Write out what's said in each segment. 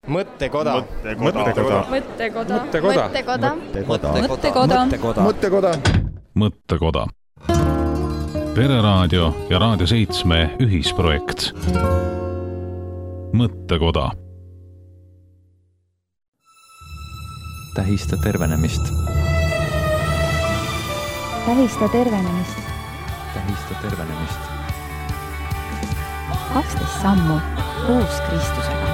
Mõttekoda. Pereraadio ja Raadio 7 ühisprojekt. Mõttekoda. Tähista tervenemist. Tähista tervenemist. Tähista tervenemist. 12 sammu koos Kristusega.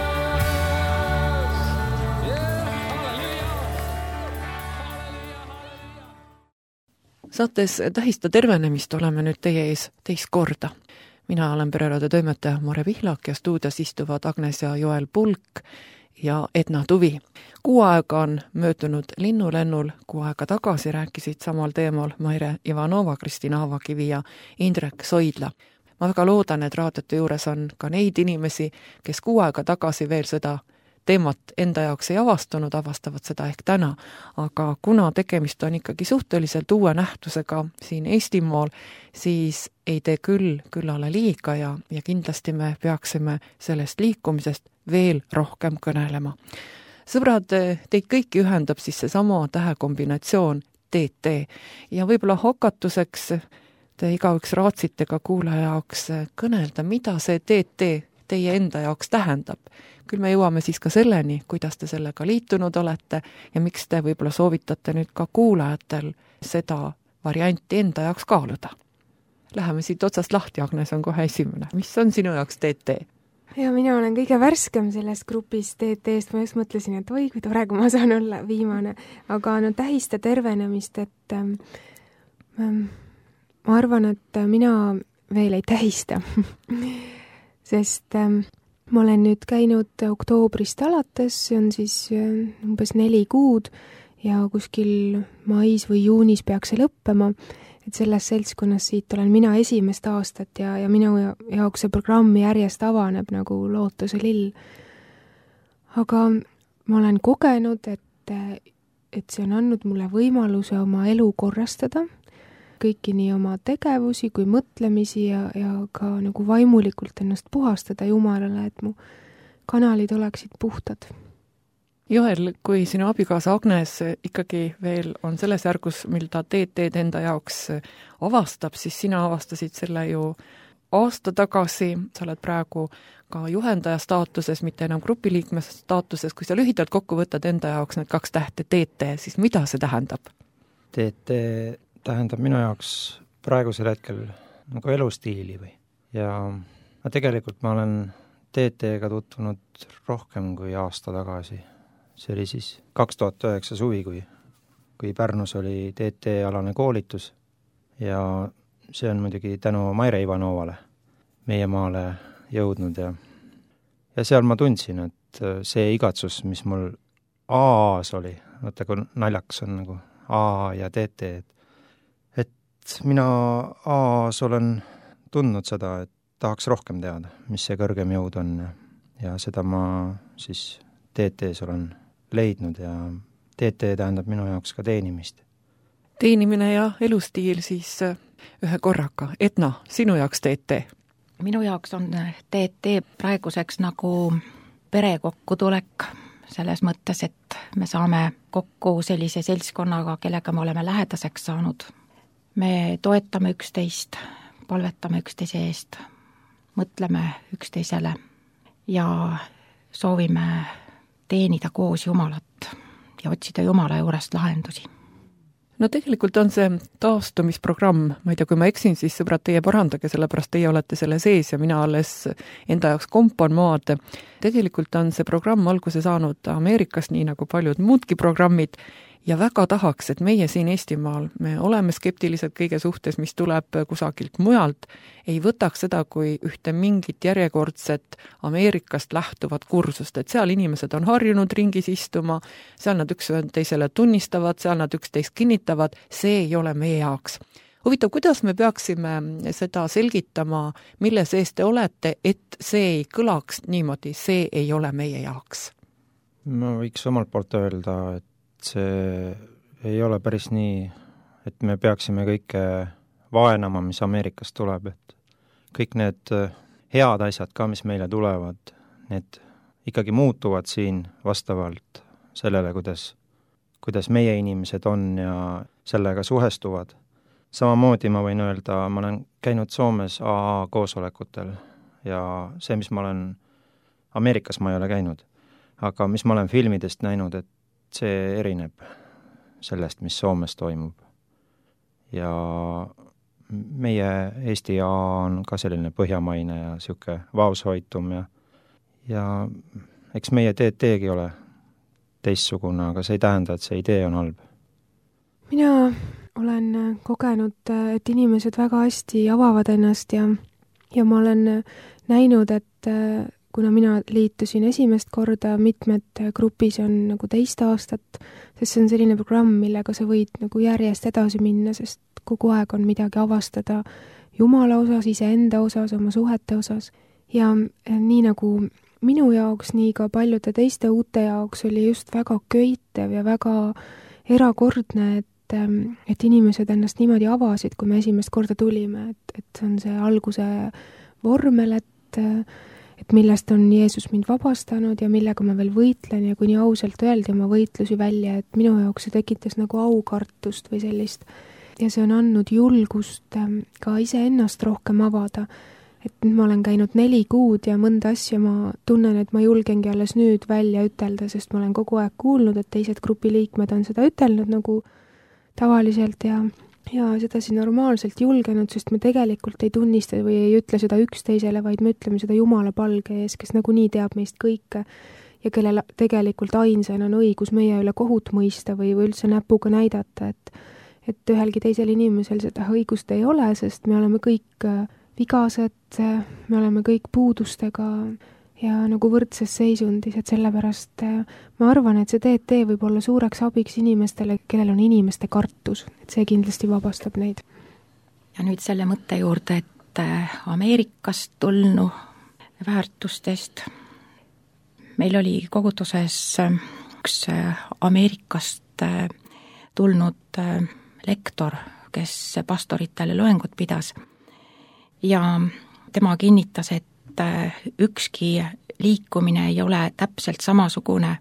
Saates Tähista tervenemist oleme nüüd teie ees teist korda. Mina olen Pereraadio toimetaja Mare Pihlak ja stuudios istuvad Agnes ja Joel Pulk ja Edna Tuvi. Kuu aega on möödunud linnulennul, kuu aega tagasi rääkisid samal teemal Maire Ivanova, Kristina Avakivi ja Indrek Soidla. Ma väga loodan, et raadiote juures on ka neid inimesi, kes kuu aega tagasi veel seda teemat enda jaoks ei avastanud, avastavad seda ehk täna, aga kuna tegemist on ikkagi suhteliselt uue nähtusega siin Eestimaal, siis ei tee küllale liiga ja kindlasti me peaksime sellest liikumisest veel rohkem kõnelema. Sõbrad, teid kõiki ühendab siis seesama tähekombinatsioon TT ja võib-olla hakatuseks te igaüks raatsite ka kuulaja jaoks kõnelda, mida see TT teie enda jaoks tähendab. Küll me jõuame siis ka selleni, kuidas te sellega liitunud olete ja miks te võib-olla soovitate nüüd ka kuulajatel seda varianti enda jaoks kaaluda. Läheme siit otsast lahti, Agnes on kohe esimene. Mis on sinu jaoks TT? Ja mina olen kõige värskem selles grupis TT-st, ma just mõtlesin, et oi, kui tore, kui ma saan olla viimane. Aga tähista tervenemist, et ma arvan, et mina veel ei tähista. Sest ma olen nüüd käinud oktoobrist alates, see on siis umbes 4 kuud ja kuskil mais või juunis peaks see lõppema, et selles seltskonnas siit olen mina esimest aastat ja minu jaoks see programm järjest avaneb nagu lootuse lill. Aga ma olen kogenud, et see on andnud mulle võimaluse oma elu korrastada, kõiki nii oma tegevusi kui mõtlemisi ja ka nagu vaimulikult ennast puhastada Jumalale, et mu kanalid oleksid puhtad. Joel, kui sinu abikaasa Agnes ikkagi veel on selles järgus, mil ta TT-d enda jaoks avastab, siis sina avastasid selle ju aasta tagasi, sa oled praegu ka juhendaja staatuses, mitte enam grupiliikme staatuses. Kui sa lühidalt kokku võtad enda jaoks need 2 tähte TT, siis mida see tähendab? TT tähendab minu jaoks praegusel hetkel nagu elustiili või. Ja tegelikult ma olen TT-ga tutvunud rohkem kui aasta tagasi. See oli siis 2009 suvi, kui Pärnus oli TT-alane koolitus ja see on muidugi tänu Maire Ivanovale meie maale jõudnud ja seal ma tundsin, et see igatsus, mis mul AA-s oli, vaata kui naljaks on nagu AA ja TT, et mina AA-s olen tundnud seda, et tahaks rohkem teada, mis see kõrgem jõud on ja seda ma siis TT-s olen leidnud ja TT tähendab minu jaoks ka teenimist. Teenimine ja elustiil siis ühe korraga. Edna, sinu jaoks TT? Minu jaoks on TT praeguseks nagu pere kokkutulek selles mõttes, et me saame kokku sellise seltskonnaga, kellega me oleme lähedaseks saanud. Me toetame üksteist, palvetame üksteise eest, mõtleme üksteisele ja soovime teenida koos Jumalat ja otsida Jumala juurest lahendusi. No tegelikult on see taastumisprogramm, ma ei tea, kui ma eksin, siis sõbrad, teie parandage, sellepärast teie olete selle sees ja mina alles enda jaoks kompan maad. Tegelikult on see programm alguse saanud Ameerikas, nii nagu paljud muudki programmid, ja väga tahaks, et meie siin Eestimaal, me oleme skeptilised kõige suhtes, mis tuleb kusagilt mujalt, ei võtaks seda kui ühte mingit järjekordset Ameerikast lähtuvat kursust, et seal inimesed on harjunud ringis istuma, seal nad üksteisele tunnistavad, seal nad üksteist kinnitavad, see ei ole meie jaoks. Huvitav, kuidas me peaksime seda selgitama, mille sees te olete, et see ei kõlaks niimoodi, see ei ole meie jaoks? Ma võiks omalt poolt öelda, et see ei ole päris nii, et me peaksime kõike vaenama, mis Ameerikast tuleb, et kõik need head asjad ka, mis meile tulevad, need ikkagi muutuvad siin vastavalt sellele, kuidas meie inimesed on ja sellega suhestuvad. Samamoodi ma võin öelda, ma olen käinud Soomes AA koosolekutel ja see, mis ma olen Ameerikas ma ei ole käinud, aga mis ma olen filmidest näinud, et see erineb sellest, mis Soomes toimub. Ja meie Eesti AA on ka selline põhjamaine ja siuke vaoshoitum ja eks meie teegi ole teistsugune, aga see ei tähenda, et see idee on halb. Mina olen kogenud, et inimesed väga hästi avavad ennast ja ma olen näinud, et kuna mina liitusin esimest korda, mitmed grupis on nagu teist aastat, sest see on selline programm, millega sa võid nagu järjest edasi minna, sest kogu aeg on midagi avastada Jumala osas, iseenda osas, oma suhete osas. Ja nii nagu minu jaoks, nii ka paljude teiste uute jaoks oli just väga köitev ja väga erakordne, et inimesed ennast niimoodi avasid, kui me esimest korda tulime, et see on see alguse vormel, et millest on Jeesus mind vabastanud ja millega ma veel võitlen ja kui nii ausalt öeldi oma võitlusi välja, et minu jaoks see tekitas nagu aukartust või sellist. Ja see on andnud julgust ka iseennast rohkem avada. Et ma olen käinud 4 kuud ja mõnda asja ma tunnen, et ma julgengi alles nüüd välja ütelda, sest ma olen kogu aeg kuulnud, et teised grupiliikmed on seda ütelnud nagu tavaliselt ja sedasi normaalselt julgenud, sest me tegelikult ei tunnista või ei ütle seda üksteisele, vaid me ütleme seda Jumala palge ees, kes nagunii teab meist kõike ja kellel tegelikult ainsana on õigus meie üle kohut mõista või üldse näpuga näidata, et ühelgi teisel inimesel seda õigust ei ole, sest me oleme kõik vigased, me oleme kõik puudustega ja nagu võrdses seisundis, et sellepärast ma arvan, et see TT võib olla suureks abiks inimestele, kellel on inimeste kartus, et see kindlasti vabastab neid. Ja nüüd selle mõtte juurde, et Ameerikast tulnu väärtustest. Meil oli koguduses üks Ameerikast tulnud lektor, kes pastoritele loengut pidas ja tema kinnitas, et ükski liikumine ei ole täpselt samasugune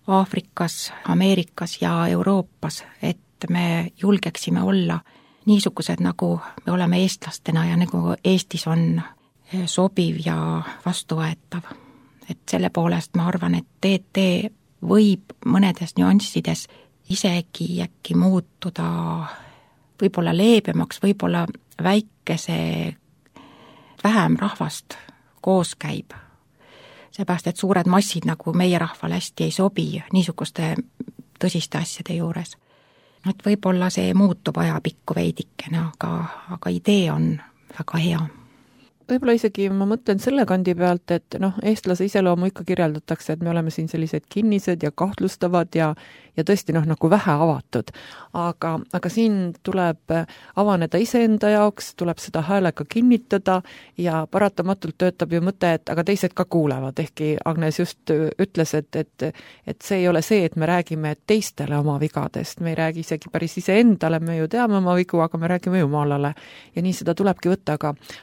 Aafrikas, Ameerikas ja Euroopas, et me julgeksime olla niisugused, nagu me oleme eestlastena ja nagu Eestis on sobiv ja vastuvõetav. Et selle poolest ma arvan, et TT võib mõnedes nüanssides isegi äkki muutuda võib-olla leebemaks, võib-olla väikese vähem rahvast koos käib. Seepärast, et suured massid nagu meie rahvale hästi ei sobi niisuguste tõsiste asjade juures. Et võib-olla see muutub ajapikku veidikene, aga idee on väga hea. Võib-olla isegi ma mõtlen selle kandi pealt, et eestlase iseloomu ikka kirjeldatakse, et me oleme siin sellised kinnised ja kahtlustavad ja tõesti nagu vähe avatud. Aga siin tuleb avaneda iseenda jaoks, tuleb seda häälega kinnitada ja paratamatult töötab ju mõte, et aga teised ka kuulevad, ehkki Agnes just ütles, et see ei ole see, et me räägime teistele oma vigadest, me ei räägi isegi päris iseendale, me ju teame oma vigu, aga me räägime Jumalale ja nii seda tulebki võtta,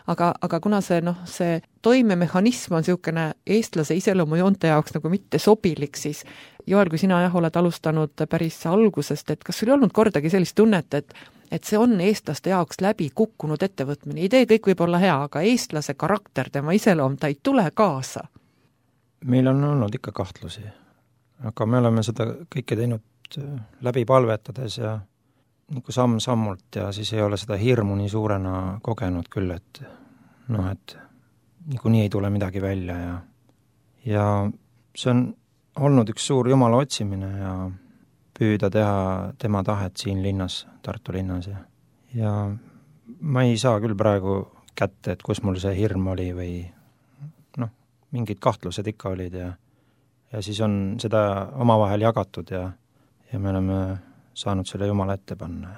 aga kuna see toimemehhanism on niisugune eestlase iseloomujoonte jaoks nagu mitte sobilik, siis Joel, kui sina oled alustanud päris algusest, et kas sul ei olnud kordagi sellist tunnet, et see on eestlaste jaoks läbi kukkunud ettevõtmine, idee kõik võib olla hea, aga eestlase karakter, tema iseloom, ta ei tule kaasa? Meil on olnud ikka kahtlusi, aga me oleme seda kõike teinud läbi palvetades ja nagu samm-sammult ja siis ei ole seda hirmu nii suurena kogenud küll, et niikuinii ei tule midagi välja ja see on olnud üks suur Jumala otsimine ja püüda teha tema tahet siin linnas, Tartu linnas ja ma ei saa küll praegu kätte, et kus mul see hirm oli või mingid kahtlused ikka olid ja siis on seda omavahel jagatud ja me oleme saanud selle Jumala ette panna.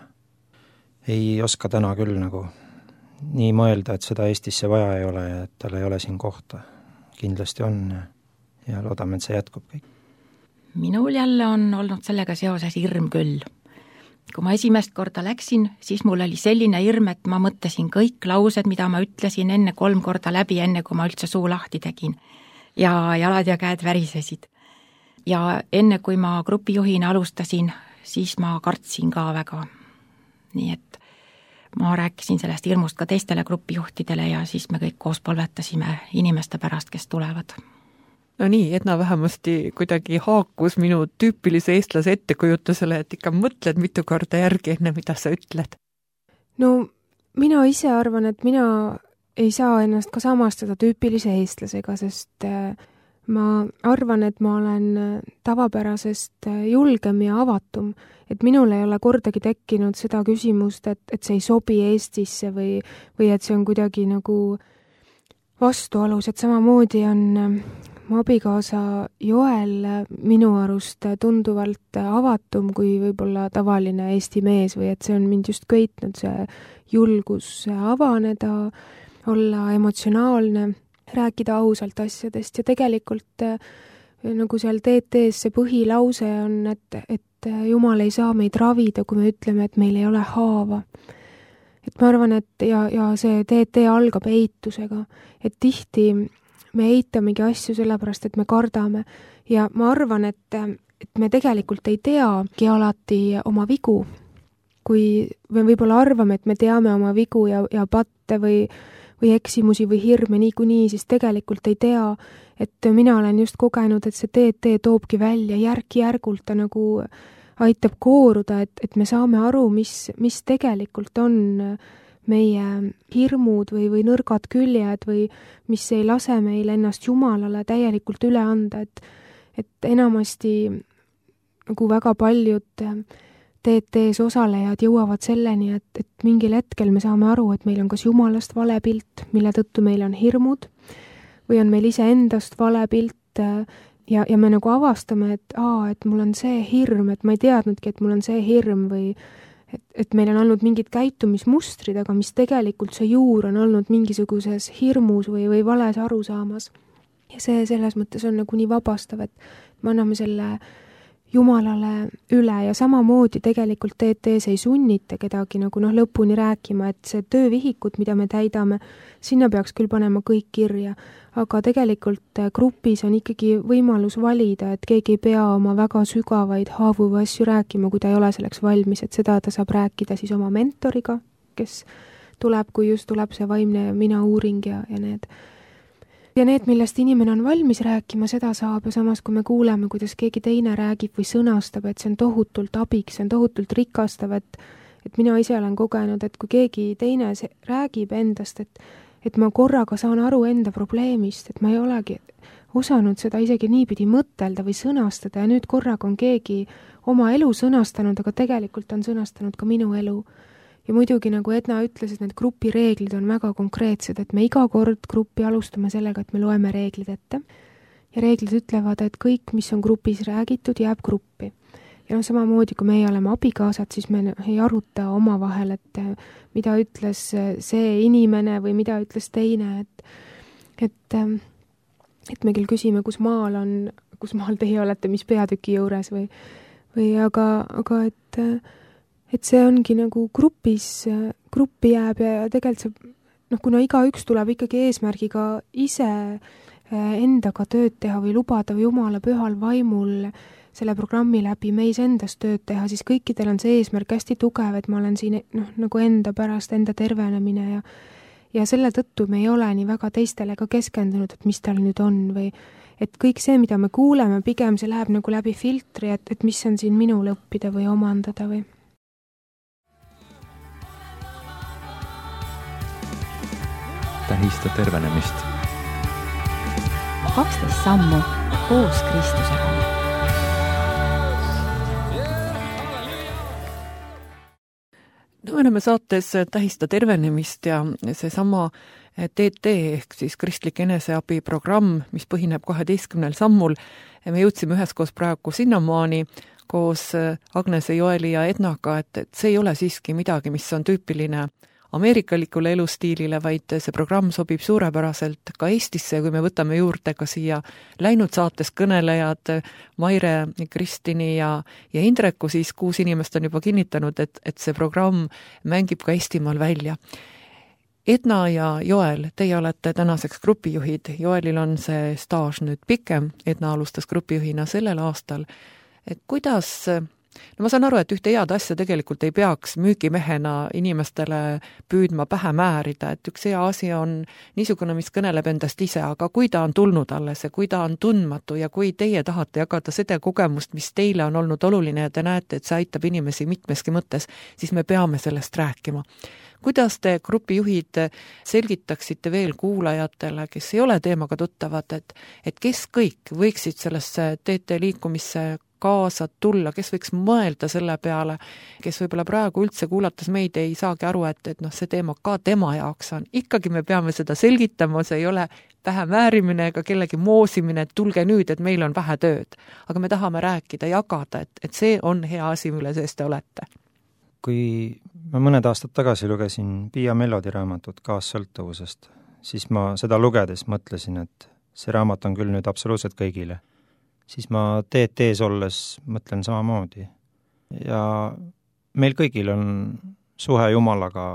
Ei oska täna küll nagu nii mõelda, et seda Eestisse vaja ei ole ja et tal ei ole siin kohta. Kindlasti on ja loodame, et see jätkub kõik. Minul jälle on olnud sellega seoses hirm küll. Kui ma esimest korda läksin, siis mul oli selline hirm, et ma mõtlesin kõik laused, mida ma ütlesin enne 3 korda läbi, enne kui ma üldse suu lahti tegin. ja jalad ja käed värisesid. Ja enne, kui ma grupijuhina alustasin, siis ma kartsin ka väga. Nii et ma rääkisin sellest hirmust ka teistele grupijuhtidele ja siis me kõik koos palvetasime inimeste pärast, kes tulevad. No nii, Edna vähemasti kuidagi haakus minu tüüpilise eestlase ettekujutusele, et ikka mõtled mitu korda järgi enne, mida sa ütled. No mina ise arvan, et mina ei saa ennast ka samastada tüüpilise eestlasega, sest ma arvan, et ma olen tavapärasest julgem ja avatum, et minul ei ole kordagi tekkinud seda küsimust, et see ei sobi Eestisse või et see on kuidagi nagu vastuolus, et samamoodi on mu abikaasa Joel minu arust tunduvalt avatum kui võib-olla tavaline Eesti mees või et see on mind just köitnud, see julgus avaneda, olla emotsionaalne, rääkida ausalt asjadest ja tegelikult nagu seal TT-s see põhilause on, et Jumal ei saa meid ravida, kui me ütleme, et meil ei ole haava. Et ma arvan, et ja see TT algab eitusega, et tihti me eitamegi asju sellepärast, et me kardame ja ma arvan, et me tegelikult ei teagi alati oma vigu. Kui me võib-olla arvame, et me teame oma vigu ja patte või eksimusi või hirme niikuinii, siis tegelikult ei tea, et mina olen just kogenud, et see TT toobki välja järk-järgult, ta nagu aitab kooruda, et me saame aru, mis tegelikult on meie hirmud või nõrgad küljed või mis ei lase meil ennast Jumalale täielikult üle anda, et enamasti nagu väga paljud TT-s osalejad jõuavad selleni, et mingil hetkel me saame aru, et meil on kas Jumalast vale pilt, mille tõttu meil on hirmud, või on meil iseendast vale pilt ja me nagu avastame, et mul on see hirm, et ma ei teadnudki, et mul on see hirm või et meil on olnud mingid käitumismustrid, aga mis tegelikult see juur on olnud mingisuguses hirmus või vales arusaamas. Ja see selles mõttes on nagu nii vabastav, et me anname selle Jumalale üle ja samamoodi tegelikult TT-s ei sunnita kedagi nagu lõpuni rääkima, et see töövihikud, mida me täidame, sinna peaks küll panema kõik kirja, aga tegelikult grupis on ikkagi võimalus valida, et keegi ei pea oma väga sügavaid haavuva asju rääkima, kui ta ei ole selleks valmis, et seda ta saab rääkida siis oma mentoriga, kes tuleb, kui just tuleb see vaimne mina uuring ja need. Ja need, millest inimene on valmis rääkima, seda saab ja samas, kui me kuuleme, kuidas keegi teine räägib või sõnastab, et see on tohutult abiks, see on tohutult rikastav, et mina ise olen kogenud, et kui keegi teine räägib endast, et ma korraga saan aru enda probleemist, et ma ei olegi osanud seda isegi niipidi mõtelda või sõnastada ja nüüd korraga on keegi oma elu sõnastanud, aga tegelikult on sõnastanud ka minu elu. Ja muidugi, nagu Edna ütles, et need grupireeglid on väga konkreetsed, et me iga kord gruppi alustame sellega, et me loeme reeglid ette. Ja reeglid ütlevad, et kõik, mis on grupis räägitud, jääb gruppi. Ja samamoodi, kui meie oleme abikaasad, siis me ei aruta omavahel, et mida ütles see inimene või mida ütles teine, et me küll küsime, kus maal teie olete, mis peatüki juures või aga et see ongi nagu gruppi jääb ja tegelikult see, kuna igaüks tuleb ikkagi eesmärgiga ise endaga tööd teha või lubada Jumala pühal vaimul selle programmi läbi meis endas tööd teha, siis kõikidel on see eesmärk hästi tugev, et ma olen siin nagu enda pärast, enda tervenemine ja selle tõttu me ei ole nii väga teistele ka keskendunud, et mis tal nüüd on või et kõik see, mida me kuuleme, pigem see läheb nagu läbi filtri, et mis on siin minul õppida või omandada või. Tähista tervenemist. 12 sammu koos Kristusega. No, me oleme saates Tähista tervenemist ja seesama TT ehk siis kristlik eneseabiprogramm, mis põhineb 12 sammul. Me jõudsime üheskoos praegu sinnamaani koos Agnese, Joeli ja Ednaga, et see ei ole siiski midagi, mis on tüüpiline ameerikalikule elustiilile, vaid see programm sobib suurepäraselt ka Eestisse, kui me võtame juurde ka siia läinud saates kõnelejad Maire, Kristini ja Indreku, siis 6 inimest on juba kinnitanud, et see programm mängib ka Eestimaal välja. Edna ja Joel, teie olete tänaseks grupijuhid, Joelil on see staaž nüüd pikem, Edna alustas grupijuhina sellel aastal. Et kuidas, no ma saan aru, et ühte head asja tegelikult ei peaks müügimehena inimestele püüdma pähe määrida, et üks hea asi on niisugune, mis kõneleb endast ise, aga kui ta on tulnud alles ja kui ta on tundmatu ja kui teie tahate jagada seda kogemust, mis teile on olnud oluline ja te näete, et see aitab inimesi mitmeski mõttes, siis me peame sellest rääkima. Kuidas te grupijuhid selgitaksite veel kuulajatele, kes ei ole teemaga tuttavad, et kes kõik võiksid sellesse TT liikumisse kaasa tulla, kes võiks mõelda selle peale, kes võib-olla praegu üldse kuulates meid ei saagi aru, et see teema ka tema jaoks on. Ikkagi me peame seda selgitama, see ei ole vähe määrimine ega kellegi moosimine, et tulge nüüd, et meil on vähe tööd. Aga me tahame rääkida, jagada, et see on hea asi, mille sees te olete. Kui ma mõned aastad tagasi lugesin Pia Mellodi raamatut Kaassõltuvusest, siis ma seda lugedes mõtlesin, et see raamat on küll nüüd absoluutselt kõigile. Siis ma TT-s olles mõtlen samamoodi. Ja meil kõigil on suhe Jumalaga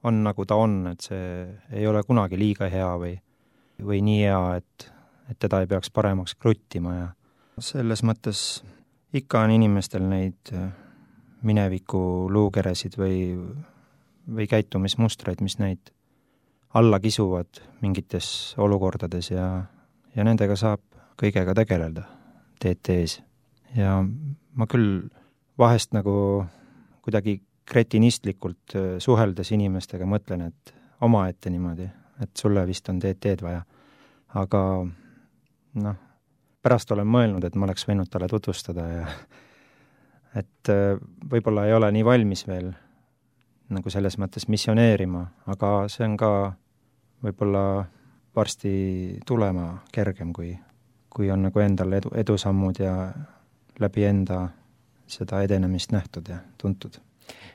on nagu ta on, et see ei ole kunagi liiga hea või nii hea, et teda ei peaks paremaks kruttima ja selles mõttes ikka on inimestel neid mineviku luukeresid või käitumismustreid, mis neid alla kisuvad mingites olukordades ja nendega saab kõigega tegeleda TT-s. Ja ma küll vahest nagu kuidagi kretinistlikult suheldes inimestega mõtlen, et omaette niimoodi, et sulle vist on TT-d vaja. Aga pärast olen mõelnud, et ma oleks võinud talle tutvustada ja et võib-olla ei ole nii valmis veel nagu selles mõttes missioneerima, aga see on ka võib-olla varsti tulema kergem, kui on nagu endal edusammud ja läbi enda seda edenemist nähtud ja tuntud.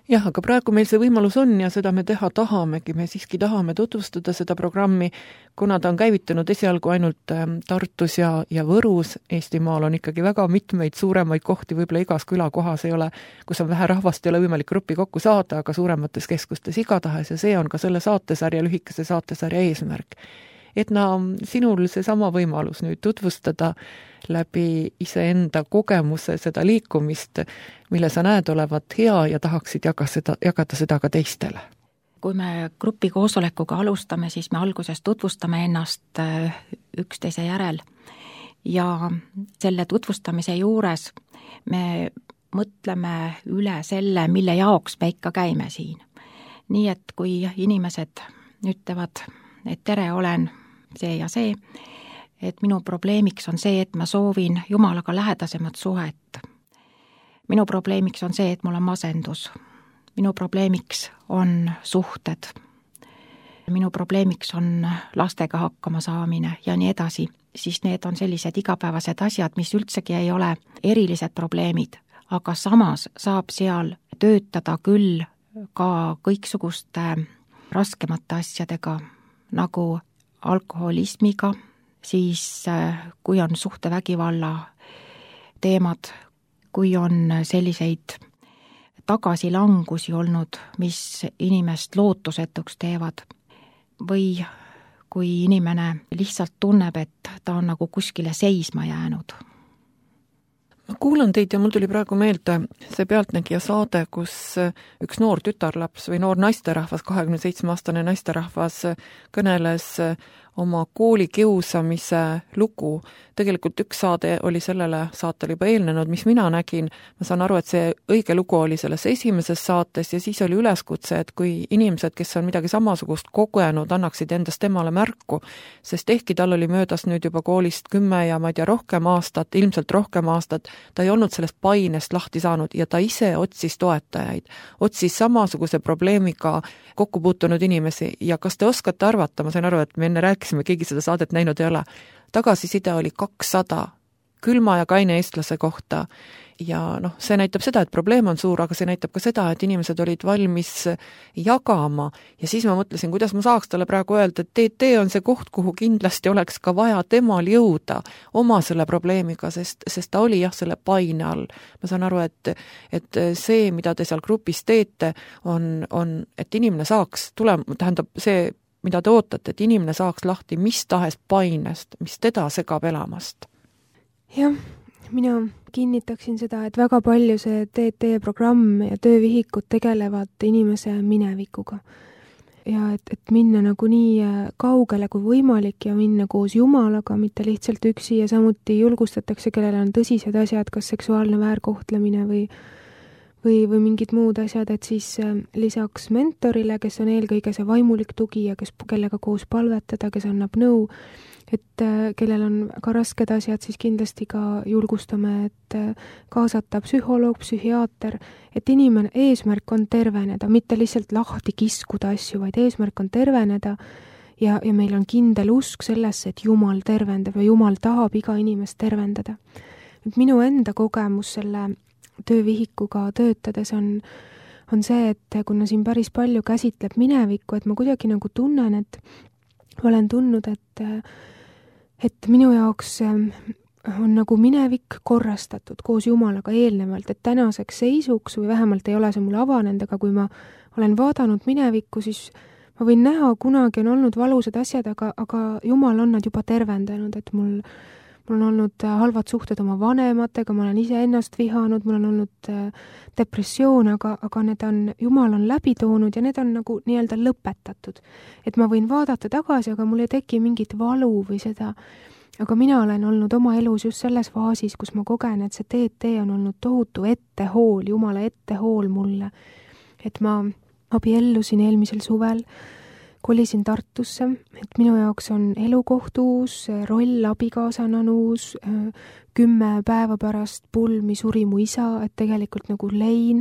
Jah, aga praegu meil see võimalus on ja seda me teha tahamegi, me siiski tahame tutvustada seda programmi, kuna ta on käivitunud esialgu ainult Tartus ja Võrus. Eestimaal on ikkagi väga mitmeid suuremaid kohti, võib-olla igas külakohas ei ole, kus on vähe rahvast, ei ole võimalik gruppi kokku saada, aga suuremates keskustes igatahes ja see on ka selle saatesarja, lühikese saatesarja eesmärk. Edna, sinul see sama võimalus nüüd tutvustada läbi iseenda kogemuse seda liikumist, mille sa näed olevat hea ja tahaksid jagada seda ka teistele. Kui me grupi koosolekuga alustame, siis me alguses tutvustame ennast üksteise järel ja selle tutvustamise juures me mõtleme üle selle, mille jaoks me ikka käime siin. Nii et kui inimesed ütlevad, et tere, olen see ja see, et minu probleemiks on see, et ma soovin Jumalaga lähedasemat suhet. Minu probleemiks on see, et mul on masendus. Minu probleemiks on suhted. Minu probleemiks on lastega hakkama saamine ja nii edasi. Siis need on sellised igapäevased asjad, mis üldsegi ei ole erilised probleemid, aga samas saab seal töötada küll ka kõiksuguste raskemate asjadega, nagu alkoholismiga, siis kui on suhtevägivalla teemad, kui on selliseid tagasilangusi olnud, mis inimest lootusetuks teevad, või kui inimene lihtsalt tunneb, et ta on nagu kuskile seisma jäänud. Ma kuulan teid ja mul tuli praegu meelde see Pealtnägija saade, kus üks noor tütarlaps või noor naisterahvas, 27-aastane naisterahvas kõneles oma kooli kiusamise lugu. Tegelikult üks saade oli sellele saatele juba eelnenud, mis mina nägin. Ma saan aru, et see õige lugu oli selles esimeses saates ja siis oli üleskutse, et kui inimesed, kes on midagi samasugust kogenud, annaksid endast temale märku, sest ehkki tal oli möödas nüüd juba koolist 10 ja ma ei tea rohkem aastat, ilmselt rohkem aastat, ta ei olnud sellest painest lahti saanud ja ta ise otsis toetajaid, otsis samasuguse probleemiga kokku puutunud inimesi ja kas te oskate arvata, ma sain aru, et me enne rääkisime, keegi seda saadet näinud ei ole, tagasiside oli 200. külma ja kaine eestlase kohta. Ja see näitab seda, et probleem on suur, aga see näitab ka seda, et inimesed olid valmis jagama ja siis ma mõtlesin, kuidas ma saaks talle praegu öelda, et TT on see koht, kuhu kindlasti oleks ka vaja temal jõuda oma selle probleemiga, sest ta oli selle paine all. Ma saan aru, et see, mida te seal grupis teete, on, et inimene saaks tähendab see, mida te ootate, et inimene saaks lahti mis tahes painest, mis teda segab elamast. Jah, mina kinnitaksin seda, et väga palju see TT programm ja töövihikud tegelevad inimese minevikuga. Ja et minna nagu nii kaugele kui võimalik ja minna koos Jumalaga, mitte lihtsalt üksi ja samuti julgustatakse, kellel on tõsised asjad, kas seksuaalne väärkohtlemine või mingid muud asjad, et siis lisaks mentorile, kes on eelkõige see vaimulik tugi ja kellega koos palvetada, kes annab nõu, et kellel on ka rasked asjad, siis kindlasti ka julgustame, et kaasata psühholoog, psühhiaater, et inimene, eesmärk on terveneda, mitte lihtsalt lahti kiskuda asju, vaid eesmärk on terveneda ja meil on kindel usk sellesse, et Jumal tervendab ja Jumal tahab iga inimest tervendada. Et minu enda kogemus selle töövihikuga töötades on see, et kuna siin päris palju käsitleb minevikku, et ma kuidagi nagu tunnen, et olen tundnud, et minu jaoks on nagu minevik korrastatud koos Jumalaga eelnevalt, et tänaseks seisuks või vähemalt ei ole see mulle avanenud, aga kui ma olen vaadanud minevikku, siis ma võin näha, kunagi on olnud valusad asjad, aga Jumal on nad juba tervendanud, et mul on olnud halvad suhted oma vanematega, ma olen ise ennast vihanud, mul on olnud depressioon, aga Jumal on läbi toonud ja need on nagu nii-öelda lõpetatud. Et ma võin vaadata tagasi, aga mul ei teki mingit valu või seda. Aga mina olen olnud oma elus just selles faasis, kus ma kogen, et see TT on olnud tohutu ettehool, Jumala ettehool mulle. Et ma abiellusin eelmisel suvel, kolisin Tartusse, et minu jaoks on elukoht uus, roll abikaasana on uus, 10 päeva pärast pulmi suri mu isa, et tegelikult nagu lein,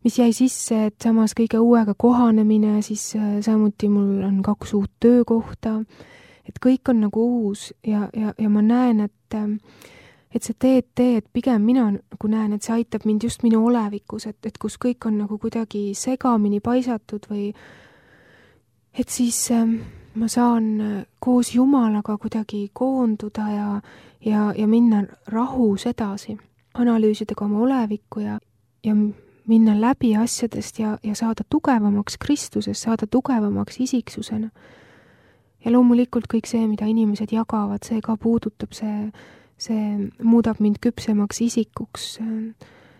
mis jäi sisse, et samas kõige uuega kohanemine, siis samuti mul on 2 uut töökohta, et kõik on nagu uus ja ma näen, et see TT, et pigem mina nagu näen, et see aitab mind just minu olevikus, et kus kõik on nagu kuidagi segamini paisatud või et siis ma saan koos Jumalaga kuidagi koonduda ja minna rahus edasi, analüüsida ka oma olevikku ja minna läbi asjadest ja saada tugevamaks Kristuses, saada tugevamaks isiksusena. Ja loomulikult kõik see, mida inimesed jagavad, see ka puudutab, see muudab mind küpsemaks isikuks,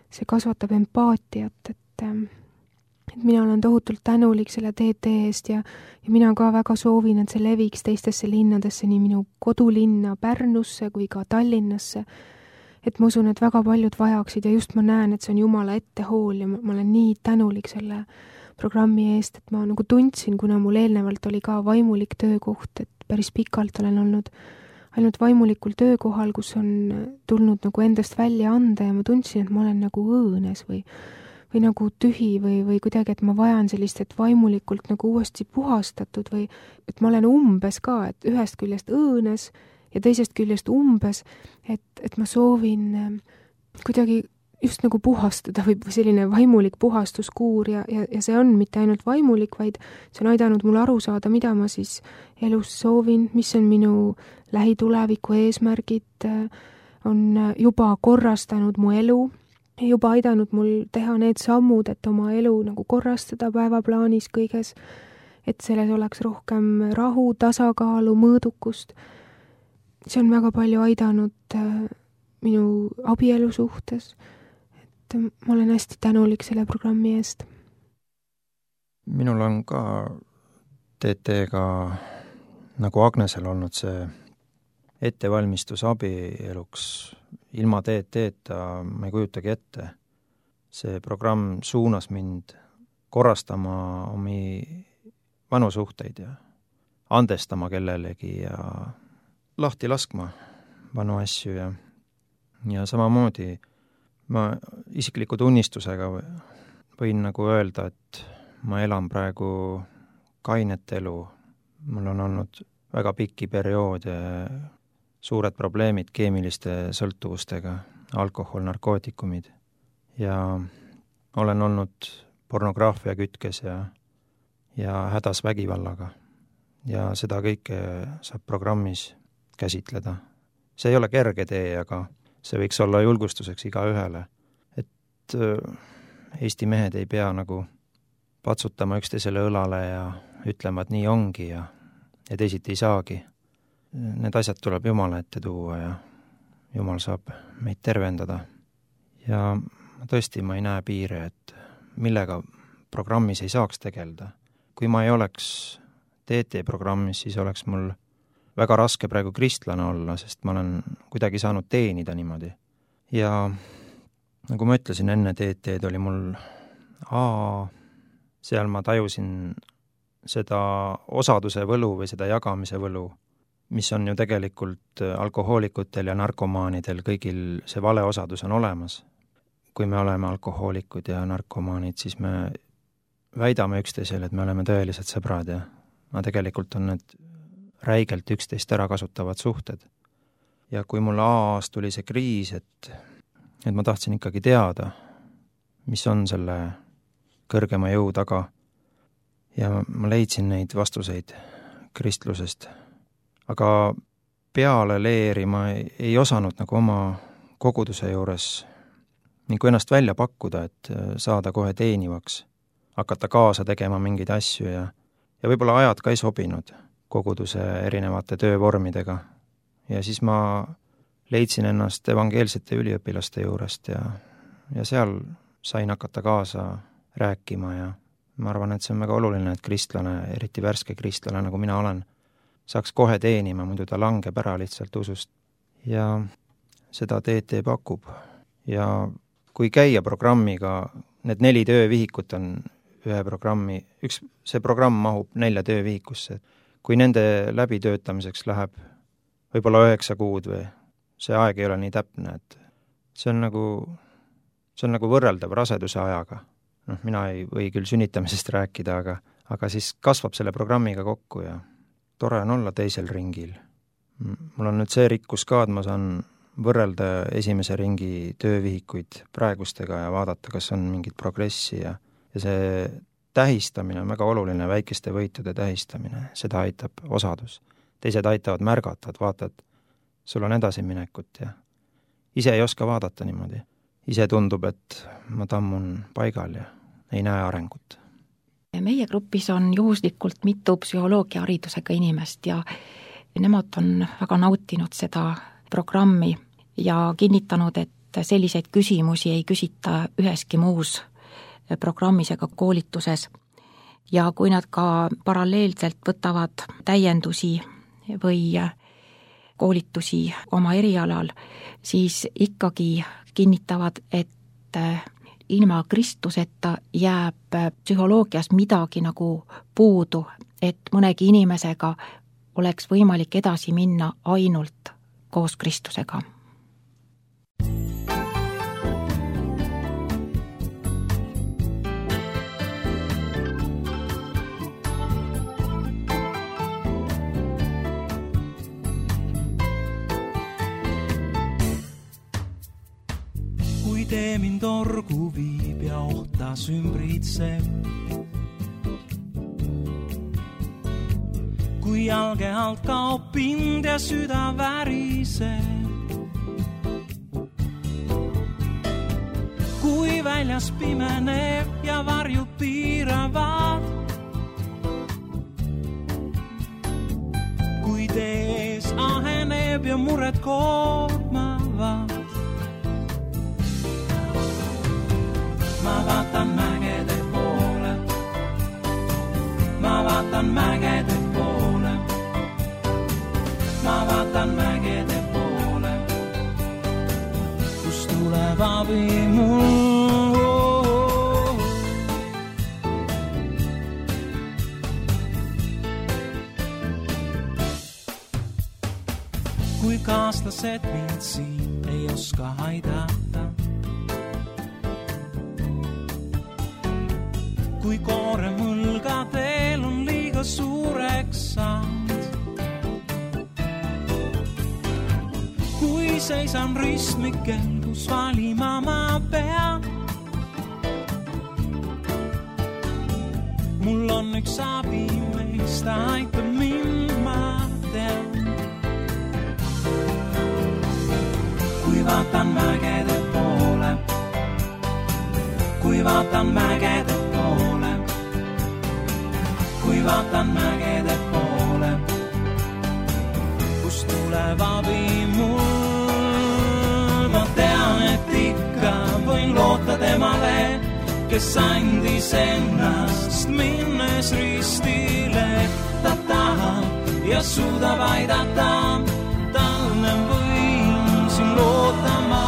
see kasvatab empaatiat, et mina olen tohutult tänulik selle TT eest ja mina ka väga soovin, et see leviks teistesse linnadesse, nii minu kodulinna Pärnusse kui ka Tallinnasse. Et ma usun, et väga paljud vajaksid ja just ma näen, et see on Jumala ettehool ja ma olen nii tänulik selle programmi eest, et ma nagu tundsin, kuna mul eelnevalt oli ka vaimulik töökoht, et päris pikalt olen olnud ainult vaimulikul töökohal, kus on tulnud nagu endast välja anda ja ma tundsin, et ma olen nagu õõnes või nagu tühi või kuidagi, et ma vajan sellist, et vaimulikult nagu uuesti puhastatud või et ma olen umbes ka, et ühest küljest õõnes ja teisest küljest umbes, et ma soovin kuidagi just nagu puhastada või selline vaimulik puhastuskuur ja see on mitte ainult vaimulik, vaid see on aidanud mul aru saada, mida ma siis elus soovin, mis on minu lähituleviku eesmärgid, on juba korrastanud mu elu, juba aidanud mul teha need sammud, et oma elu nagu korrastada päevaplaanis kõiges, et selles oleks rohkem rahu, tasakaalu, mõõdukust. See on väga palju aidanud minu abielu suhtes, et ma olen hästi tänulik selle programmi eest. Minul on ka TT-ga nagu Agnesel olnud see ettevalmistus abieluks. Ilma TT-ta ma ei kujutagi ette. See programm suunas mind korrastama omi vanu suhteid ja andestama kellelegi ja lahti laskma vanu asju ja samamoodi ma isikliku tunnistusega võin nagu öelda, et ma elan praegu kainet elu. Mul on olnud väga pikki perioode suured probleemid keemiliste sõltuvustega, alkohol, narkootikumid ja olen olnud pornograafia kütkes ja hädas vägivallaga. Ja seda kõike saab programmis käsitleda. See ei ole kerge tee, aga see võiks olla julgustuseks igaühele, et Eesti mehed ei pea nagu patsutama üksteisele õlale ja ütlema, et nii ongi ja teisiti ei saagi. Need asjad tuleb Jumala ette tuua ja Jumal saab meid tervendada. Ja tõesti ma ei näe piire, et millega programmis ei saaks tegelda. Kui ma ei oleks TT-programmis, siis oleks mul väga raske praegu kristlane olla, sest ma olen kuidagi saanud teenida niimoodi. Ja nagu ma ütlesin, enne TT-d oli mul seal ma tajusin seda osaduse võlu või seda jagamise võlu, mis on ju tegelikult alkohoolikutel ja narkomaanidel kõigil see vale osadus on olemas. Kui me oleme alkohoolikud ja narkomaanid, siis me väidame üksteisele, et me oleme tõelised sõbrad ja tegelikult on need räigelt üksteist ära kasutavad suhted. Ja kui mul aastas tuli see kriis, et ma tahtsin ikkagi teada, mis on selle kõrgema jõu taga ja ma leidsin neid vastuseid kristlusest. Aga peale leeri ma ei osanud nagu oma koguduse juures nagu ennast välja pakkuda, et saada kohe teenivaks, hakata kaasa tegema mingeid asju ja võib-olla ajad ka ei sobinud koguduse erinevate töövormidega. Ja siis ma leidsin ennast evangeelsete üliõpilaste juurest ja seal sain hakata kaasa rääkima ja ma arvan, et see on väga oluline, et kristlane, eriti värske kristlane, nagu mina olen, saaks kohe teenima, muidu ta langeb ära lihtsalt usust. Ja seda TT pakub. Ja kui käia programmiga, need 4 töövihikut on ühe programmi, see programm mahub 4 töövihikusse. Kui nende läbitöötamiseks läheb võib-olla 9 kuud või see aeg ei ole nii täpne, et see on nagu võrreldav raseduse ajaga. Mina ei või küll sünnitamisest rääkida, aga siis kasvab selle programmiga kokku ja tore on olla teisel ringil. Mul on nüüd see rikkus ka, et ma saan võrrelda esimese ringi töövihikuid praegustega ja vaadata, kas on mingit progressi ja see tähistamine on väga oluline, väikeste võitude tähistamine, seda aitab osadus. Teised aitavad märgata, et vaatad, sul on edasiminekut ja ise ei oska vaadata niimoodi. Ise tundub, et ma tammun paigal ja ei näe arengut. Meie grupis on juhuslikult mitu psühholoogia haridusega inimest ja nemad on väga nautinud seda programmi ja kinnitanud, et selliseid küsimusi ei küsita üheski muus programmis ega koolituses. Ja kui nad ka paralleelselt võtavad täiendusi või koolitusi oma erialal, siis ikkagi kinnitavad, et ilma Kristuseta jääb psühholoogias midagi nagu puudu, et mõnegi inimesega oleks võimalik edasi minna ainult koos Kristusega. Tee mind orgu viib ja ohtas ümbritseb. Kui jalge alt kaob pind ja süda väriseb. Kui väljas pimeneb ja varjud piiravad. Kui tees aheneb ja mured koormavad. Ma vaatan mägede poole, ma vaatan mägede poole, ma vaatan mägede poole, kus tuleb abi mul. Kui kaaslased mind siin ei oska aidata, kui koore mõlgadel on liiga suureks saanud. seisan ristmikel, kus valima ma pean. Mul on üks abi, meist aitab mind, ma tean. Kui vaatan mägede poole, kui vaatan mägede poole, kui vaatan mägede poole, kust tuleb abi mul. Ma tean, et ikka võin loota temale, kes andis ennast minnes ristile. Ta tahab ja suudab aidata, talle võin siin lootama.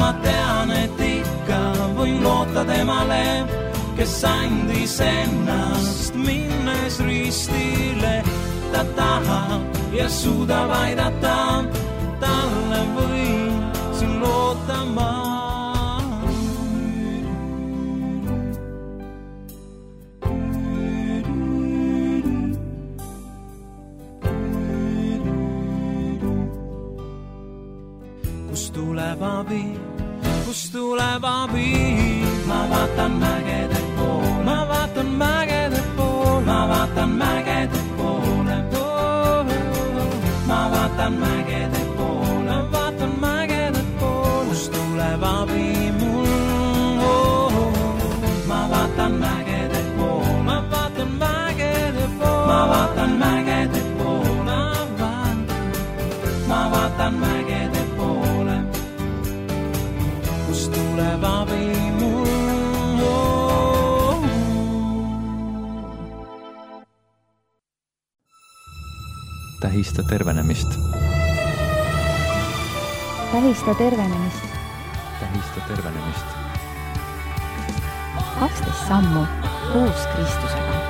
Ma tean, et ikka võin loota temale, kes andis ennast minnes ristile. Ta tahab ja suudab aidata, talle võin siin lootama. Kust tuleb abi, ma vaatan mägede poole, ma vaatan mägede poole, ma vaatan mägede poole, ma vaatan mägede poole, ma vaatan mägede poole, kust tuleb abi mul. Ma vaatan mägede poole, ma vaatan mägede poole, ma vaatan mägede poole, ma vaatan mägede poole, kust tuleb abi mul. Tähista tervenemist. Tähista tervenemist. Tähista tervenemist. 12 sammu koos Kristusega.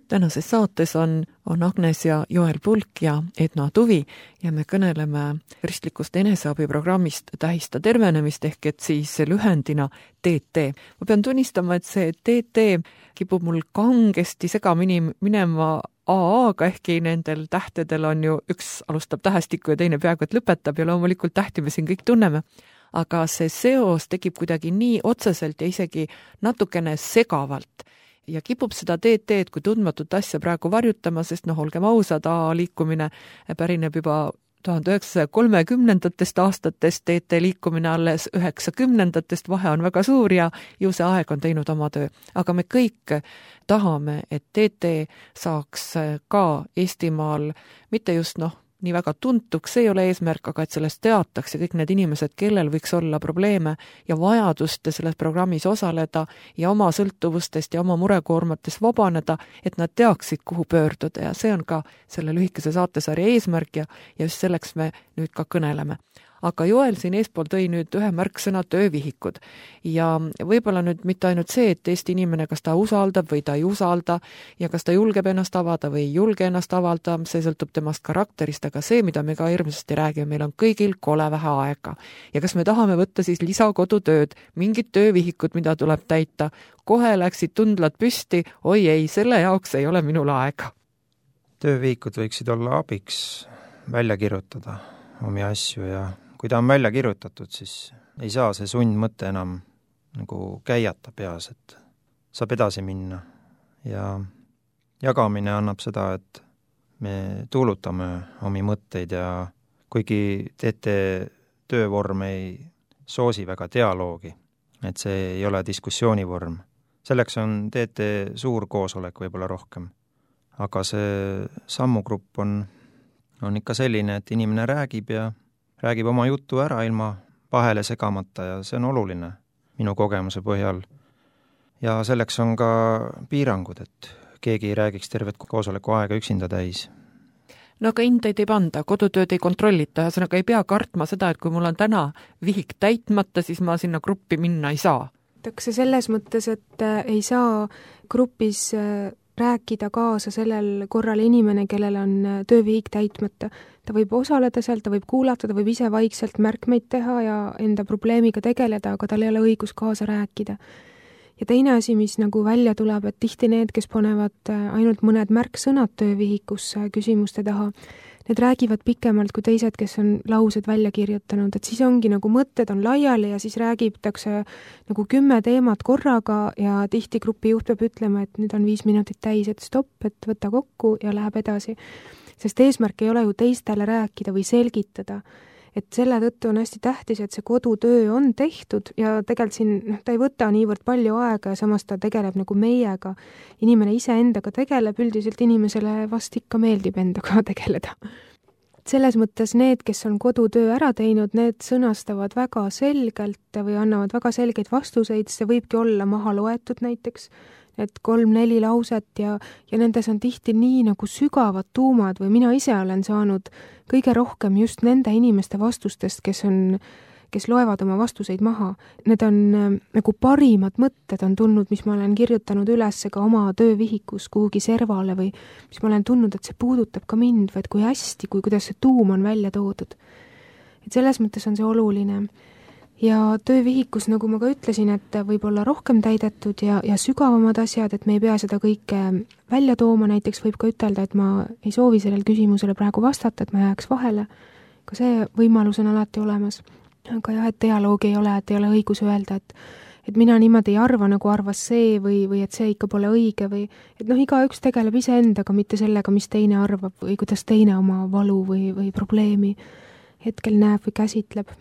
Tänases saates on Agnes ja Joel Pulk ja Edna Tuvi ja me kõneleme kristlikust eneseabiprogrammist Tähista tervenemist ehk et siis lühendina TT. Ma pean tunnistama, et see TT kipub mul kangesti segamini minema AA-ga, ehkki nendel tähtedel on ju üks alustab tähestikku ja teine peaaegu et lõpetab ja loomulikult tähti me siin kõik tunneme. Aga see seos tekib kuidagi nii otseselt ja isegi natukene segavalt. Ja kipub seda TT-d kui tundmatut asja praegu varjutama, sest olgem ausad, liikumine pärineb juba 1930. aastatest, TT liikumine alles 90. vahe on väga suur ja ju see aeg on teinud oma töö. Aga me kõik tahame, et TT saaks ka Eestimaal mitte just nii väga tuntuks, see ei ole eesmärk, aga et sellest teataks ja kõik need inimesed, kellel võiks olla probleeme ja vajadust selles programmis osaleda ja oma sõltuvustest ja oma murekoormatest vabaneda, et nad teaksid, kuhu pöörduda ja see on ka selle lühikese saatesarja eesmärk ja just selleks me nüüd ka kõneleme. Aga Joel siin eespool tõi nüüd ühe märksõna töövihikud ja võib-olla nüüd mitte ainult see, et Eesti inimene, kas ta usaldab või ta ei usalda ja kas ta julgeb ennast avada või ei julge ennast avada, see sõltub temast karakterist, aga see, mida me ka hirmsasti räägime, meil on kõigil kole vähe aega. Ja kas me tahame võtta siis lisakodutööd, mingid töövihikud, mida tuleb täita, kohe läksid tundlad püsti, oi ei, selle jaoks ei ole minul aega. Töövihikud võiksid olla abiks välja kirjutada omi asju ja kui ta on välja kirjutatud, siis ei saa see sundmõte enam nagu käiata peas, et saab edasi minna. Ja jagamine annab seda, et me tuulutame omi mõtteid ja kuigi TT töövorm ei soosi väga dialoogi, et see ei ole diskussioonivorm. Selleks on TT suur koosolek võib-olla rohkem. Aga see sammugrupp on ikka selline, et inimene räägib oma jutu ära ilma vahele segamata ja see on oluline minu kogemuse põhjal. Ja selleks on ka piirangud, et keegi ei räägiks tervet koosoleku aega üksinda täis. No aga hindeid ei panda, kodutööd ei kontrollita, ühesõnaga ei pea kartma seda, et kui mul on täna vihik täitmata, siis ma sinna gruppi minna ei saa. See selles mõttes, et ei saa grupis rääkida kaasa sellel korral inimene, kellel on töövihik täitmata. Ta võib osaleda seal, ta võib kuulata, ta võib ise vaikselt märkmeid teha ja enda probleemiga tegeleda, aga tal ei ole õigus kaasa rääkida. ja teine asi, mis nagu välja tuleb, et tihti need, kes panevad ainult mõned märksõnad töövihikusse küsimuste taha, need räägivad pikemalt kui teised, kes on laused välja kirjutanud, et siis ongi nagu mõtted on laiali ja siis räägitakse nagu 10 teemat korraga ja tihti grupi juht peab ütlema, et nüüd on 5 minutit täis, et stopp, et võta kokku ja läheb edasi. Sest eesmärk ei ole ju teistele rääkida või selgitada. Et selle tõttu on hästi tähtis, et see kodutöö on tehtud ja tegelikult siin ta ei võta niivõrd palju aega ja samas ta tegeleb nagu meiega. Inimene ise endaga tegeleb, üldiselt inimesele vast ikka meeldib endaga tegeleda. Selles mõttes need, kes on kodutöö ära teinud, need sõnastavad väga selgelt või annavad väga selgeid vastuseid, see võibki olla maha loetud näiteks, et 3-4 lauset ja nendes on tihti nii nagu sügavad tuumad või mina ise olen saanud kõige rohkem just nende inimeste vastustest, kes loevad oma vastuseid maha. Need on nagu parimad mõtted on tulnud, mis ma olen kirjutanud üles ka oma töövihikus kuhugi servale või mis ma olen tundnud, et see puudutab ka mind või et kui hästi, kuidas see tuum on välja toodud. Et selles mõttes on see oluline. Ja töövihikus, nagu ma ka ütlesin, et võib olla rohkem täidetud ja sügavamad asjad, et me ei pea seda kõike välja tooma, näiteks võib ka ütelda, et ma ei soovi sellele küsimusele praegu vastata, et ma jääks vahele. Ka see võimalus on alati olemas. Aga jah, et dialoogi ei ole, et ei ole õigus öelda, et mina niimoodi ei arva, nagu arvas see või et see ikka pole õige või et igaüks tegeleb iseendaga, mitte sellega, mis teine arvab või kuidas teine oma valu või probleemi hetkel näeb või käsitleb.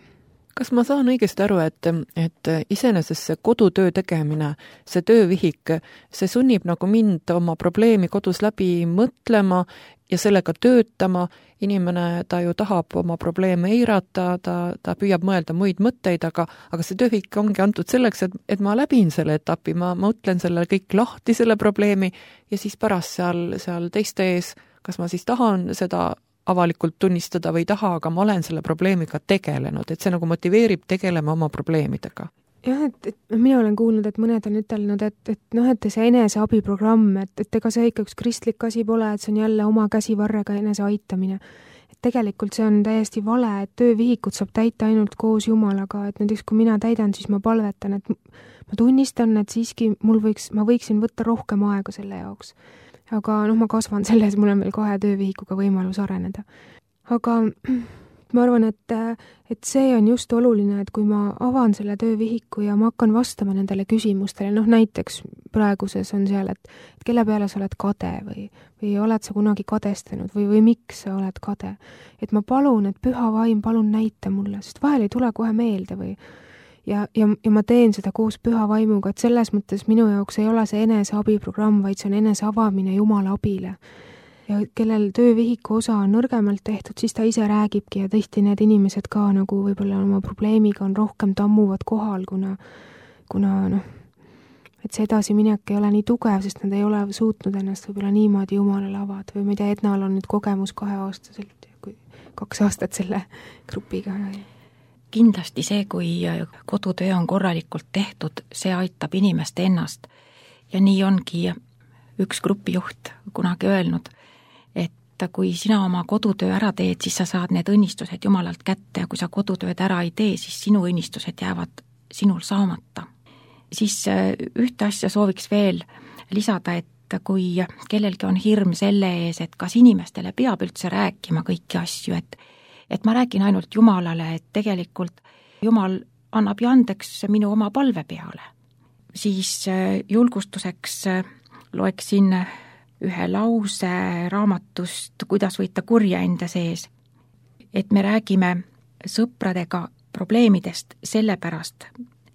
Kas ma saan õigesti aru, et iseenesest see kodutöö tegemine, see töövihik, see sunnib nagu mind oma probleemi kodus läbi mõtlema ja sellega töötama, inimene, ta ju tahab oma probleeme eirata, ta püüab mõelda muid mõtteid, aga see töövihik ongi antud selleks, et ma läbin selle etapi, ma mõtlen selle kõik lahti, selle probleemi ja siis pärast seal teiste ees, kas ma siis tahan seda avalikult tunnistada või taha, aga ma olen selle probleemiga tegelenud, et see nagu motiveerib tegelema oma probleemidega. Jah, et mina olen kuulnud, et mõned on ütelnud, et see eneseabiprogramm, et ega see ikka üks kristlik asi pole, et see on jälle oma käsivarrega enese aitamine. Et tegelikult see on täiesti vale, et töövihikut saab täita ainult koos Jumalaga, et näiteks kui mina täidan, siis ma palvetan, et ma tunnistan, et siiski ma võiksin võtta rohkem aega selle jaoks. Aga ma kasvan selles, mul on veel 2 töövihikuga võimalus areneda. Aga ma arvan, et see on just oluline, et kui ma avan selle töövihiku ja ma hakkan vastama nendele küsimustele, näiteks praeguses on seal, et kelle peale sa oled kade või oled sa kunagi kadestanud või miks sa oled kade. Et ma palun, et püha vaim, palun näita mulle, sest vahel ei tule kohe meelde või ja ma teen seda koos püha vaimuga, et selles mõttes minu jaoks ei ole see eneseabiprogramm, vaid see on eneseavamine Jumala abile. Ja kellel töövihiku osa on nõrgemalt tehtud, siis ta ise räägibki ja tihti need inimesed ka nagu võib-olla oma probleemiga on rohkem tammuvad kohal, kuna et see edasiminek ei ole nii tugev, sest nad ei ole suutnud ennast võib-olla niimoodi Jumalale avada või ma ei tea, Ednal on nüüd kogemus 2-aastaselt, 2 aastat selle grupiga. Kindlasti see, kui kodutöö on korralikult tehtud, see aitab inimest ennast. Ja nii ongi üks grupijuht kunagi öelnud, et kui sina oma kodutöö ära teed, siis sa saad need õnnistused Jumalalt kätte ja kui sa kodutööd ära ei tee, siis sinu õnnistused jäävad sinul saamata. Siis ühte asja sooviks veel lisada, et kui kellelgi on hirm selle ees, et kas inimestele peab üldse rääkima kõiki asju, et ma räägin ainult Jumalale, et tegelikult Jumal annab ju andeks minu oma palve peale. Siis julgustuseks loeksin ühe lause raamatust, kuidas võita kurja enda sees. Et me räägime sõpradega probleemidest sellepärast,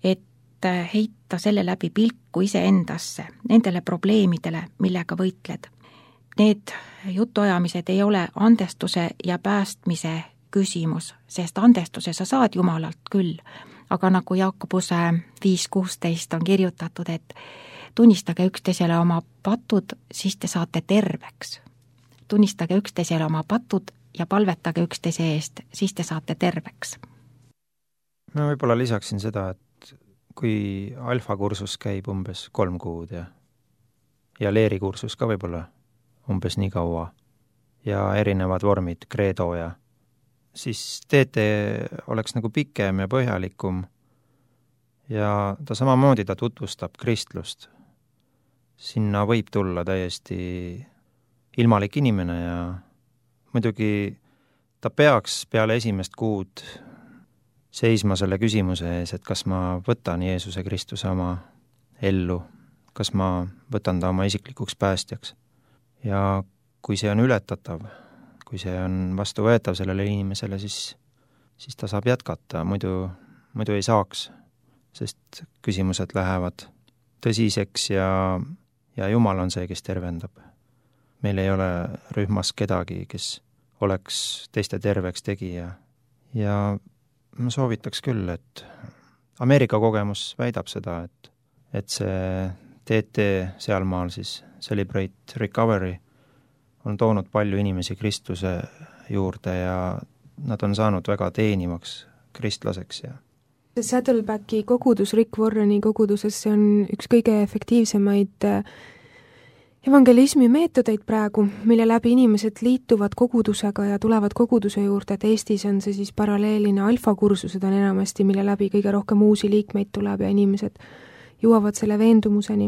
et heita selle läbi pilku iseendasse, nendele probleemidele, millega võitled. Need jutuajamised ei ole andestuse ja päästmise küsimus, sest andestuse sa saad Jumalalt küll, aga nagu Jakobuse 5.16 on kirjutatud, et tunnistage üksteisele oma patud, siis te saate terveks. Tunnistage üksteisele oma patud ja palvetage üksteise eest, siis te saate terveks. Ma võib-olla lisaksin seda, et kui alfakursus käib umbes 3 kuud ja leerikursus ka võib-olla umbes nii kaua ja erinevad vormid, kreedo ja siis TT oleks nagu pikem ja põhjalikum ja ta samamoodi ta tutvustab kristlust. Sinna võib tulla täiesti ilmalik inimene ja muidugi ta peaks peale esimest kuud seisma selle küsimuse ees, et kas ma võtan Jeesuse Kristuse oma ellu, kas ma võtan ta oma isiklikuks päästjaks. Ja kui see on ületatav, kui see on vastuvõetav sellele inimesele, siis ta saab jätkata, muidu ei saaks, sest küsimused lähevad tõsiseks ja Jumal on see, kes tervendab. Meil ei ole rühmas kedagi, kes oleks teiste terveks tegija. Ja ma soovitaks küll, et Ameerika kogemus väidab seda, et see TT sealmaal siis Celebrate Recovery on toonud palju inimesi kristluse juurde ja nad on saanud väga teenivaks kristlaseks. Ja Saddlebacki kogudus, Rick Warreni koguduses, see on üks kõige efektiivsemaid evangelismi meetodeid praegu, mille läbi inimesed liituvad kogudusega ja tulevad koguduse juurde, et Eestis on see siis paralleelina alfakursused on enamasti, mille läbi kõige rohkem uusi liikmeid tuleb ja inimesed jõuavad selle veendumuseni,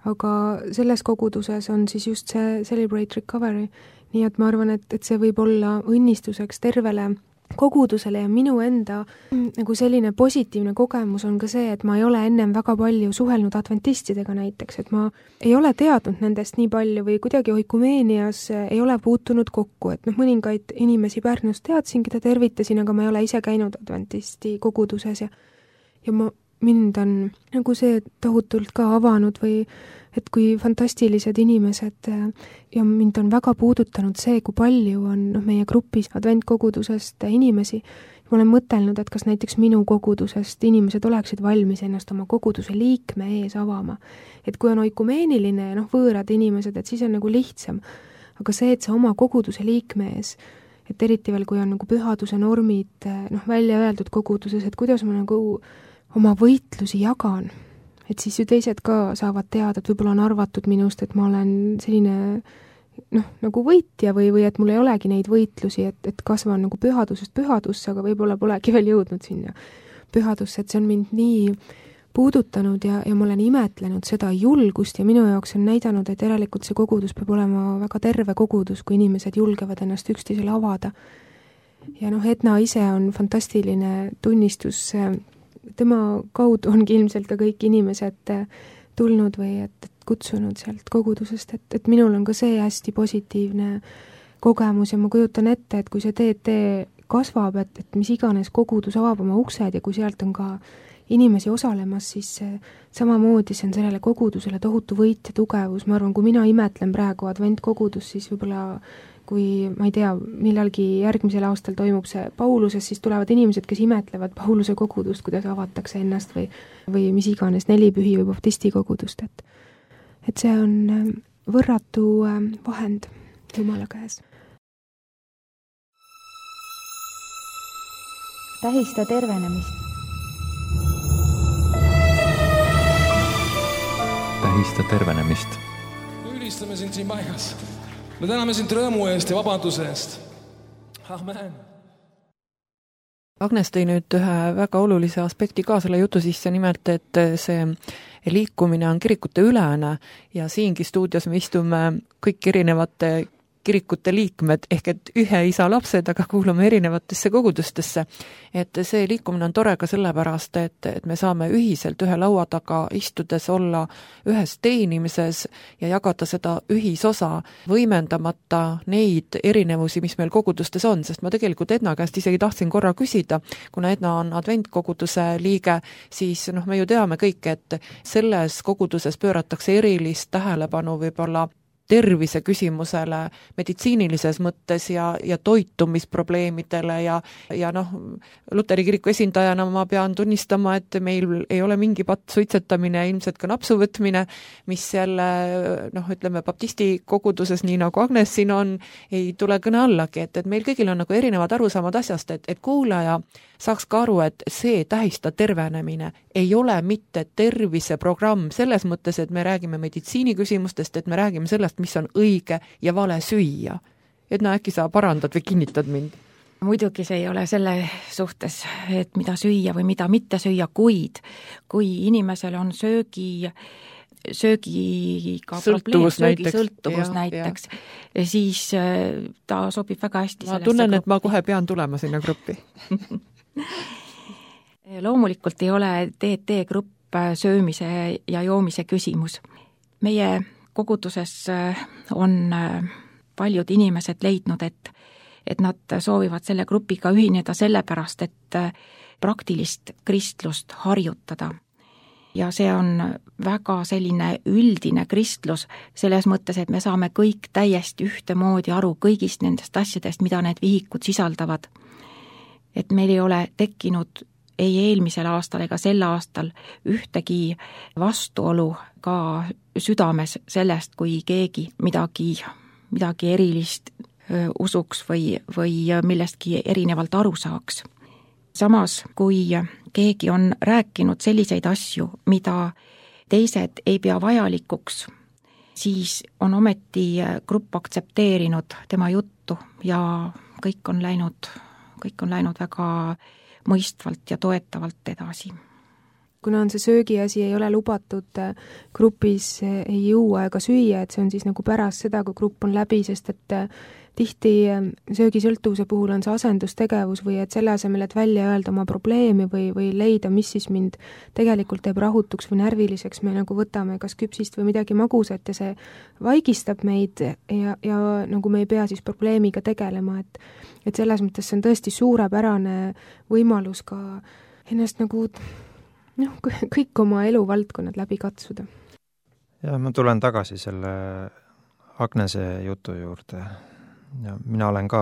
aga selles koguduses on siis just see Celebrate Recovery, nii et ma arvan, et see võib olla õnnistuseks tervele kogudusele ja minu enda nagu selline positiivne kogemus on ka see, et ma ei ole ennem väga palju suhelnud adventistidega näiteks, et ma ei ole teadnud nendest nii palju või kuidagi oikumeenias ei ole puutunud kokku, et mõningaid inimesi Pärnus teadsin, keda tervitasin, aga ma ei ole ise käinud adventisti koguduses ja mind on nagu see tohutult ka avanud või et kui fantastilised inimesed ja mind on väga puudutanud see, kui palju on meie grupis adventkogudusest inimesi. Ma olen mõtelnud, et kas näiteks minu kogudusest inimesed oleksid valmis ennast oma koguduse liikme ees avama. Et kui on oikumeeniline ja võõrad inimesed, et siis on nagu lihtsam. Aga see, et see oma koguduse liikme ees, et eriti veel, kui on nagu pühaduse normid välja öeldud koguduses, et kuidas ma nagu oma võitlusi jagan, et siis ju teised ka saavad teada, et võib-olla on arvatud minust, et ma olen selline nagu võitja või et mul ei olegi neid võitlusi, et kasvan nagu pühadusest pühadusse, aga võib-olla polegi veel jõudnud sinna pühadusse, et see on mind nii puudutanud ja ma olen imetlenud seda julgust ja minu jaoks on näidanud, et järelikult see kogudus peab olema väga terve kogudus, kui inimesed julgevad ennast üksteisele avada. Ja Edna ise on fantastiline tunnistus, tema kaudu ongi ilmselt ka kõik inimesed tulnud või et kutsunud sealt kogudusest, et minul on ka see hästi positiivne kogemus ja ma kujutan ette, et kui see TT kasvab, et mis iganes kogudus avab oma uksed ja kui sealt on ka inimesi osalemas, siis samamoodi see on sellele kogudusele tohutu võit ja tugevus. Ma arvan, kui mina imetlen praegu adventkogudus, siis võib-olla kui, ma ei tea, millalgi järgmisel aastal toimub see Pauluses, siis tulevad inimesed, kes imetlevad Pauluse kogudust, kuidas avatakse ennast või mis iganes, nelipühi või baptisti kogudust, et see on võrratu vahend Jumala käes. Tähista tervenemist. Tähista tervenemist. Ülistame sind siin paigas. Me täname sind rõõmu eest ja vabaduse eest. Amen. Agnes tõi nüüd ühe väga olulise aspekti ka selle jutu sisse, nimelt, et see liikumine on kirikute ülene ja siingi stuudios me istume kõik erinevate kirikute liikmed, ehk et ühe isa lapsed, aga kuulume erinevatesse kogudustesse. Et see liikumine on tore ka sellepärast, et me saame ühiselt ühe laua taga istudes olla ühes teenimises ja jagada seda ühisosa, võimendamata neid erinevusi, mis meil kogudustes on, sest ma tegelikult Edna käest isegi tahtsin korra küsida, kuna Edna on adventkoguduse liige, siis me ju teame kõik, et selles koguduses pööratakse erilist tähelepanu võib-olla tervise küsimusele meditsiinilises mõttes ja toitumisprobleemidele ja Luteri kiriku esindajana ma pean tunnistama, et meil ei ole mingi patt suitsetamine, ilmselt ka napsuvõtmine, mis jälle, ütleme, baptisti koguduses, nii nagu Agnes siin on, ei tule kõne allagi, et meil kõigil on nagu erinevad arusaamad asjast, et kuulaja saaks ka aru, et see tähista tervenemine ei ole mitte terviseprogramm selles mõttes, et me räägime meditsiiniküsimustest, et me räägime sellest, mis on õige ja vale süüa. Edna, äkki sa parandad või kinnitad mind? muidugi see ei ole selle suhtes, et mida süüa või mida mitte süüa, kuid kui inimesel on söögiga sõltuvus probleem, söögisõltuvus näiteks, siis ta sobib väga hästi ma tunnen, et ma kohe pean tulema sinna gruppi. Loomulikult ei ole DT-grupp söömise ja joomise küsimus. Meie koguduses on paljud inimesed leidnud, et nad soovivad selle grupiga ühineda sellepärast, et praktilist kristlust harjutada. Ja see on väga selline üldine kristlus selles mõttes, et me saame kõik täiesti ühtemoodi aru kõigist nendest asjadest, mida need vihikud sisaldavad. Et meil ei ole tekkinud ei eelmisel aastal ega sel aastal ühtegi vastuolu ka südames sellest, kui keegi midagi erilist usuks või millestki erinevalt aru saaks. Samas, kui keegi on rääkinud selliseid asju, mida teised ei pea vajalikuks, siis on ometi grupp aktsepteerinud tema juttu ja kõik on läinud väga mõistvalt ja toetavalt edasi. Kuna on see söögiasi ei ole lubatud grupis ei juua ega süüa, et see on siis nagu pärast seda, kui grupp on läbi, sest et tihti söögisõltuvuse puhul on see asendustegevus või et selle asemel, et välja öelda oma probleemi või leida, mis siis mind tegelikult teeb rahutuks või närviliseks, me nagu võtame kas küpsist või midagi magusat ja see vaigistab meid ja nagu me ei pea siis probleemiga tegelema, et selles mõttes see on tõesti suurepärane võimalus ka ennast nagu kõik oma eluvaldkonnad läbi katsuda. Ja ma tulen tagasi selle Agnese jutu juurde. Ja mina olen ka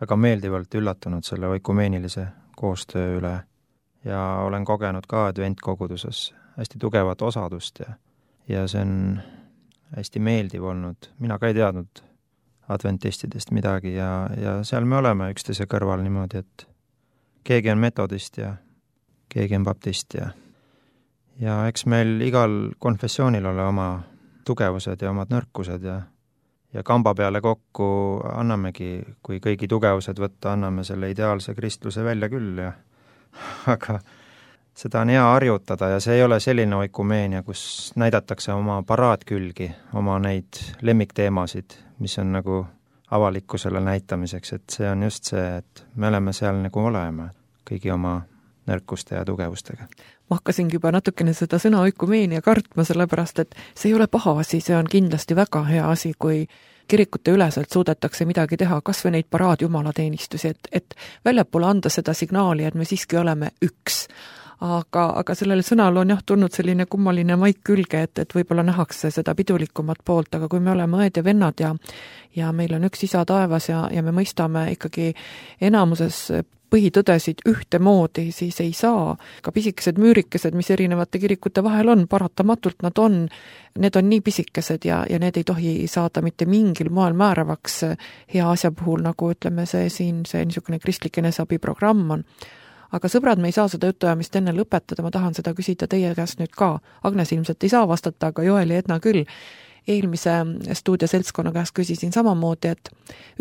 väga meeldivalt üllatunud selle oikumeenilise koostöö üle ja olen kogenud ka adventkoguduses hästi tugevat osadust ja see on hästi meeldiv olnud. Mina ka ei teadnud adventistidest midagi ja seal me oleme üksteise kõrval niimoodi, et keegi on metodist ja keegi on baptist ja eks meil igal konfessioonil ole oma tugevused ja omad nõrkused ja kamba peale kokku annamegi, kui kõigi tugevused võtta, anname selle ideaalse kristluse välja küll aga seda on hea harjutada ja see ei ole selline oikumeenia, kus näidatakse oma paraadkülgi, oma neid lemmikteemasid, mis on nagu avalikkusele näitamiseks, et see on just see, et me oleme seal nagu oleme kõigi oma nõrkuste ja tugevustega. Ma hakkasingi juba natukene seda sõna oikumeenia kartma, sellepärast, et see ei ole paha asi, see on kindlasti väga hea asi, kui kirikute üleselt suudetakse midagi teha, kas või neid paraadjumalateenistusi, et väljapoole anda seda signaali, et me siiski oleme üks. Aga sellele sõnal on tulnud selline kummaline maik külge, et võib-olla nähakse seda pidulikumat poolt, aga kui me oleme õed ja vennad ja meil on üks isa taevas ja me mõistame ikkagi enamuses põhitõdesid ühtemoodi, siis ei saa ka pisikesed müürikesed, mis erinevate kirikute vahel on, paratamatult need on nii pisikesed ja need ei tohi saada mitte mingil moel määravaks hea asja puhul, nagu ütleme see niisugune kristlik eneseabiprogramm on. Aga sõbrad, me ei saa seda jutuajamist enne lõpetada, ma tahan seda küsida teie käest nüüd ka. Agnes ilmselt ei saa vastata, aga Joel ja Edna küll. Eelmise stuudioseltskonna käest küsisin samamoodi, et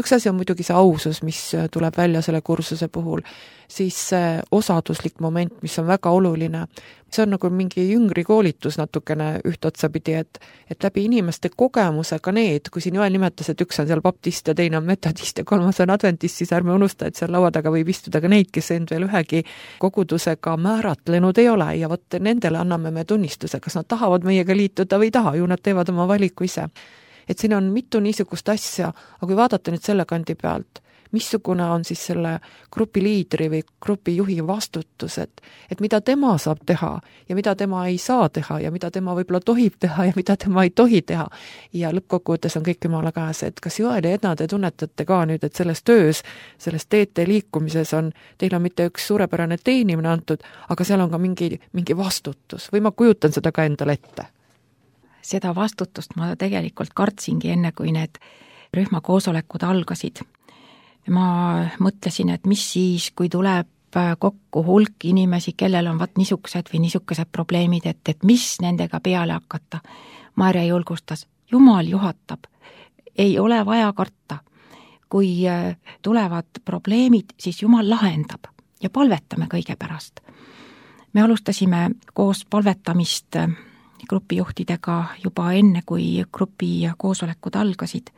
üks asi on muidugi see ausus, mis tuleb välja selle kursuse puhul, siis see osaduslik moment, mis on väga oluline. See on nagu mingi jüngri koolitus natukene ühtotsapidi, et läbi inimeste kogemuse ka need, kui siin Joel nimetas, et üks on seal baptist ja teine on metodist ja kolmas on adventist, siis ärme unusta, et seal laua taga võib istuda ka neid, kes end veel ühegi kogudusega määratlenud ei ole ja vot nendele anname me tunnistuse, kas nad tahavad meiega liituda või ei taha, ju nad teevad oma valiku ise. Et siin on mitu niisugust asja, aga kui vaadata nüüd selle kandi pealt, missugune on siis selle grupi liidri või grupi juhi vastutus, et mida tema saab teha ja mida tema ei saa teha ja mida tema võib-olla tohib teha ja mida tema ei tohi teha. Ja lõppkokkuvõttes on kõik jumala käes, et kas Joel ja Edna te tunnetate ka nüüd, et selles töös, selles teete liikumises teil on mitte üks suurepärane teenimine antud, aga seal on ka mingi vastutus või ma kujutan seda ka endale ette? Seda vastutust ma tegelikult kartsingi enne, kui need rühmakoosolekud algasid. Ma mõtlesin, et mis siis, kui tuleb kokku hulk inimesi, kellel on niisugused või niisugused probleemid, et mis nendega peale hakata. Maarja julgustas, Jumal juhatab, ei ole vaja karta. kui tulevad probleemid, siis Jumal lahendab ja palvetame kõige pärast. Me alustasime koos palvetamist grupijuhtidega juba enne, kui grupi koosolekud algasid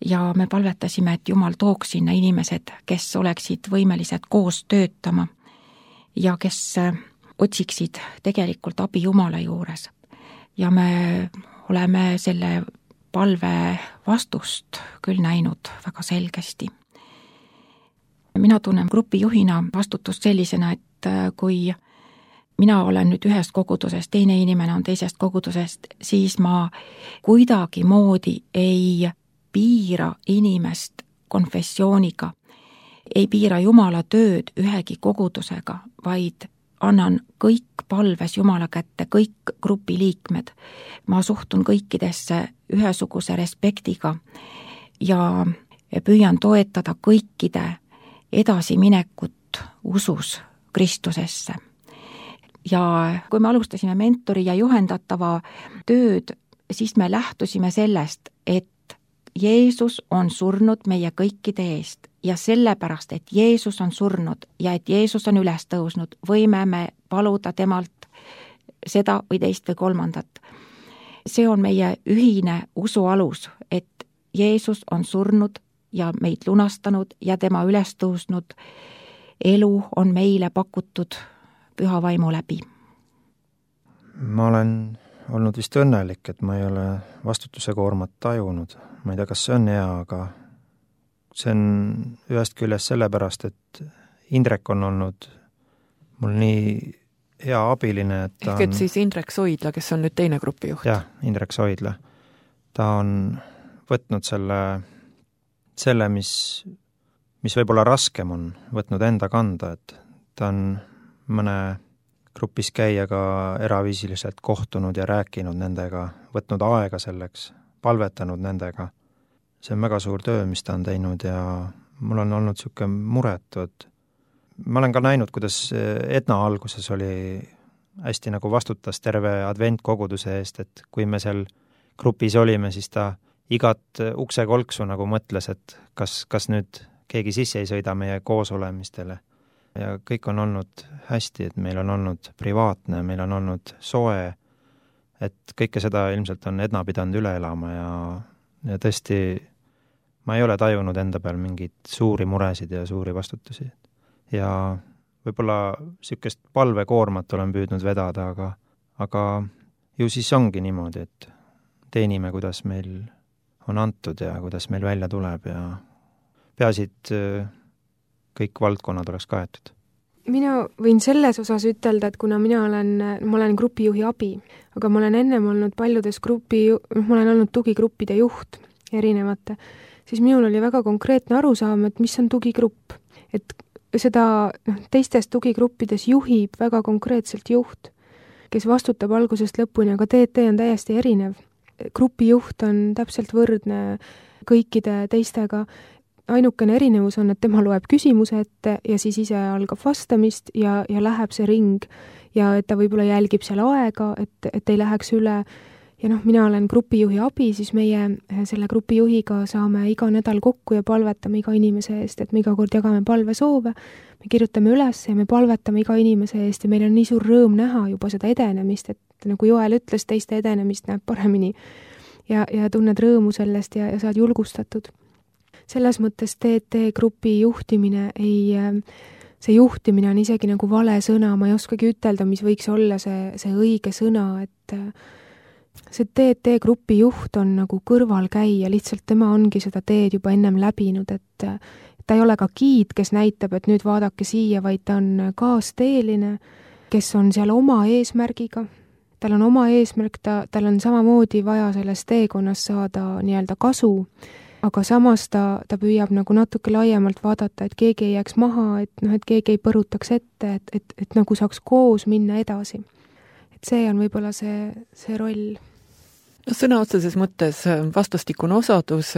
ja me palvetasime, et Jumal tooks sinna inimesed, kes oleksid võimelised koos töötama ja kes otsiksid tegelikult abi Jumala juures. Ja me oleme selle palve vastust küll näinud väga selgesti. Mina tunnen grupijuhina vastutust sellisena, et kui mina olen nüüd ühest kogudusest, teine inimene on teisest kogudusest, siis ma kuidagi moodi ei piira inimest konfessiooniga, ei piira Jumala tööd ühegi kogudusega, vaid annan kõik palves Jumala kätte, kõik grupi liikmed. Ma suhtun kõikidesse ühesuguse respektiga ja püüan toetada kõikide edasiminekut usus Kristusesse. Ja kui me alustasime mentori ja juhendatava tööd, siis me lähtusime sellest, et Jeesus on surnud meie kõikide eest ja sellepärast, et Jeesus on surnud ja et Jeesus on üles tõusnud, võime me paluda temalt seda või teist või kolmandat. See on meie ühine usu alus, et Jeesus on surnud ja meid lunastanud ja tema üles tõusnud elu on meile pakutud püha vaimu läbi. Ma olen olnud vist õnnelik, et ma ei ole vastutuse koormat tajunud. Ma ei tea, kas see on hea, aga see on ühest küljest sellepärast, et Indrek on olnud mul nii hea abiline, et ta ehk et siis Indrek Soidla, kes on nüüd teine grupijuht. Jah, Indrek Soidla. Ta on võtnud selle mis võib-olla raskem on, võtnud enda kanda, et ta on mõne grupis käijaga eraviisiliselt kohtunud ja rääkinud nendega, võtnud aega selleks, palvetanud nendega. See on väga suur töö, mis ta on teinud ja mul on olnud niisugune muretu, et ma olen ka näinud, kuidas Edna alguses oli hästi nagu vastutas terve adventkoguduse eest, et kui me seal grupis olime, siis ta igat uksekolksu nagu mõtles, et kas nüüd keegi sisse ei sõida meie koosolemistele. Ja kõik on olnud hästi, et meil on olnud privaatne, meil on olnud soe, et kõike seda ilmselt on Edna pidanud üle elama ja tõesti ma ei ole tajunud enda peal mingeid suuri muresid ja suuri vastutusi. Ja võib-olla niisugust palvekoormat olen püüdnud vedada, aga ju siis ongi niimoodi, et teenime, kuidas meil on antud ja kuidas meil välja tuleb ja peasid kõik valdkonnad oleks kaetud. Mina võin selles osas ütelda, et kuna ma olen grupijuhi abi, aga ma olen ennem olnud paljudes ma olen olnud tugigruppide juht erinevate, siis minul oli väga konkreetne arusaam, et mis on tugigrupp. Et seda teistes tugigruppides juhib väga konkreetselt juht, kes vastutab algusest lõpuni, aga TT on täiesti erinev. Grupijuht on täpselt võrdne kõikide teistega. Ainukene erinevus on, et tema loeb küsimuse ette ja siis ise algab vastamist ja läheb see ring ja et ta võib-olla jälgib seal aega, et ei läheks üle. Ja mina olen grupijuhi abi, siis meie selle grupijuhiga saame iga nädal kokku ja palvetame iga inimese eest, et me iga kord jagame palvesoove, me kirjutame üles ja me palvetame iga inimese eest ja meil on nii suur rõõm näha juba seda edenemist, et nagu Joel ütles, teiste edenemist näeb paremini ja tunned rõõmu sellest ja saad julgustatud. Selles mõttes TT grupi juhtimine see juhtimine on isegi nagu vale sõna, ma ei oskagi ütelda, mis võiks olla see õige sõna, et see TT grupi juht on nagu kõrvalkäija, lihtsalt tema ongi seda teed juba ennem läbinud, et ta ei ole ka giid, kes näitab, et nüüd vaadake siia, vaid ta on kaasteeline, kes on seal oma eesmärgiga, tal on oma eesmärk, tal on samamoodi vaja selles teekonnas saada nii-öelda kasu, aga samas ta püüab nagu natuke laiemalt vaadata, et keegi ei jääks maha, et keegi ei põrutaks ette, et nagu saaks koos minna edasi. Et see on võib-olla see roll. Sõna otseses mõttes vastastikune osadus,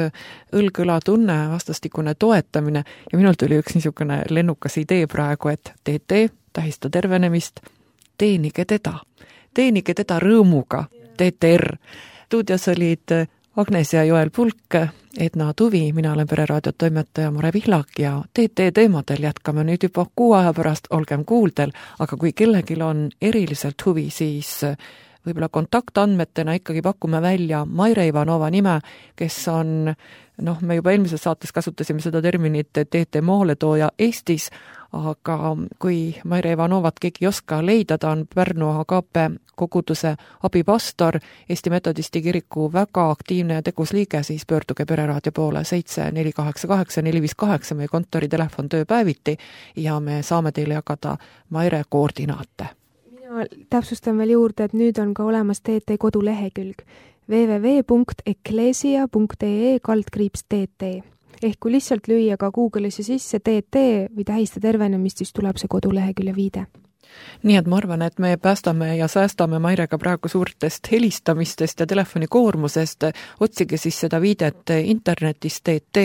õlg-õla tunne, vastastikune toetamine ja minult tuli üks niisugune lennukas idee praegu, et TT, tähista tervenemist, teenige teda rõõmuga, TTR. Stuudios olid Agnes ja Joel Pulk, Edna Tuvi, mina olen Pereraadio toimetaja Mare Vihlak ja TT teemadel jätkame nüüd juba 6 aja pärast, olgem kuuldel, aga kui kellelgi on eriliselt huvi, siis võib-olla kontaktandmetena ikkagi pakume välja Maire Ivanova nime, kes on, me juba eelmises saates kasutasime seda terminit TT maaletooja Eestis, aga kui Maire Ivanovat keegi ei oska leida, ta on Pärnu Agape koguduse abipastor, Eesti Metodisti kiriku väga aktiivne ja tegus liige, siis pöörduge Pereraadio poole 7488-458 meie kontoritelefon tööpäeviti ja me saame teile jagada Maire koordinaate. Mina täpsustan veel juurde, et nüüd on ka olemas TT kodulehekülg www.eklesia.ee/TT. Ehk kui lihtsalt lüüa ka Google'isse sisse TT või tähista tervenemist, siis tuleb see kodulehekülje viide. Nii et ma arvan, et me päästame ja säästame Mairega praegu suurtest helistamistest ja telefonikoormusest. Otsige siis seda viidet internetist TT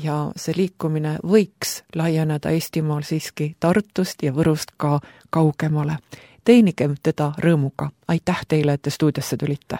ja see liikumine võiks laieneda Eestimaal siiski Tartust ja Võrust ka kaugemale. Teenige teda rõõmuga. Aitäh teile, et te stuudiosse tulite.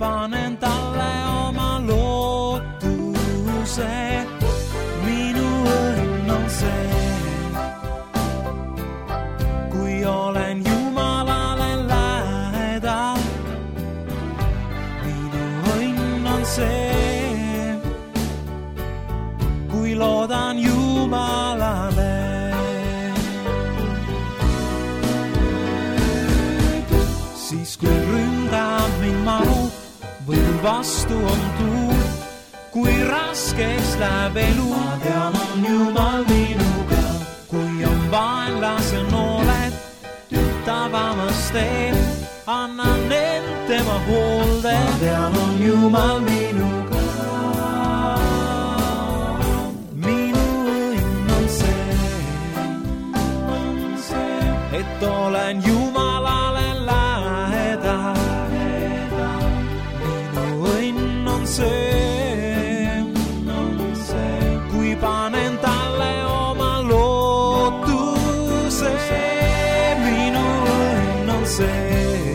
Panen talle oma lootuse, minu õnn on see, kui olen Jumalale lähedal. Minu õnn on see, kui loodan Jumalale. Siis kui ründab mind manu, või vastu on tuul, kui raskeks läheb elu. Ma tean, on Jumal minuga, kui on vaenlase nooled, tavamas teed, annan end tema hoolde. Ma tean, on Jumal minuga, minu õnn on see, et olen Jumalale lähedal. Kui panen talle oma lootuse, minu õnn on see,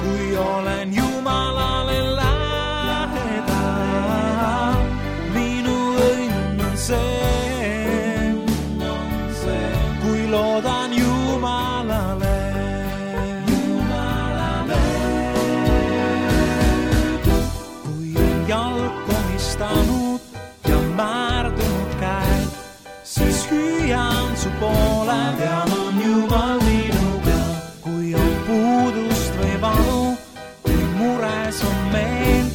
kui olen Jumalale lähedal. Minu õnn on see, kui loodan Jumalale. Ja määrdunud käed, siis hüüan su poole. Tean, on Jumal minuga, kui on puudust või valu, kui mures on meel,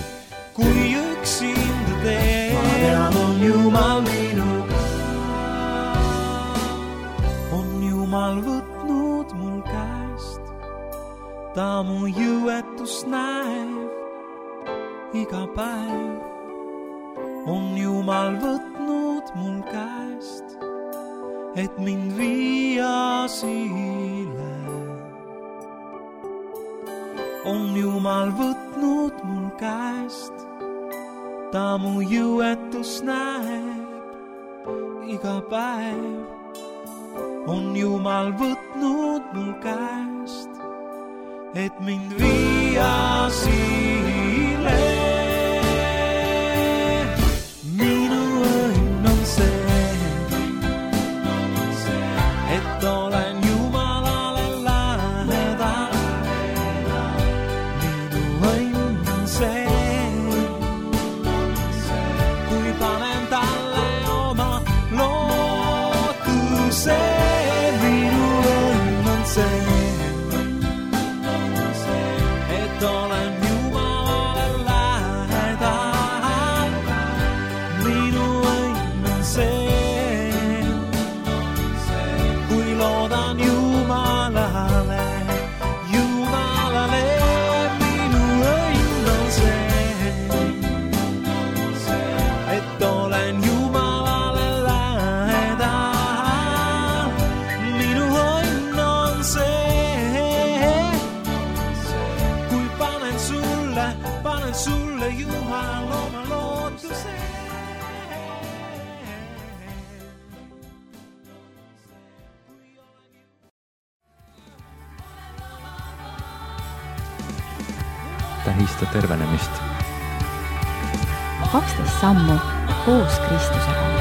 kui üksinda teen. Ma tean, on Jumal minuga, on Jumal võtnud mul käest, ta mu jõuetust näeb iga päev. On Jumal võtnud mul käest, et mind viia siile. On Jumal võtnud mul käest, ta mu jõuetus näeb iga päev. On Jumal võtnud mul käest, et mind viia siile. Et olen Jumalale lähedal. Minu õnn on see, kui panen talle oma lootuse. Minu õnn on see, et olen Jumalale lähedal. sulle Jumal oma lootuse. Tähista tervenemist. 12 sammu koos Kristusega.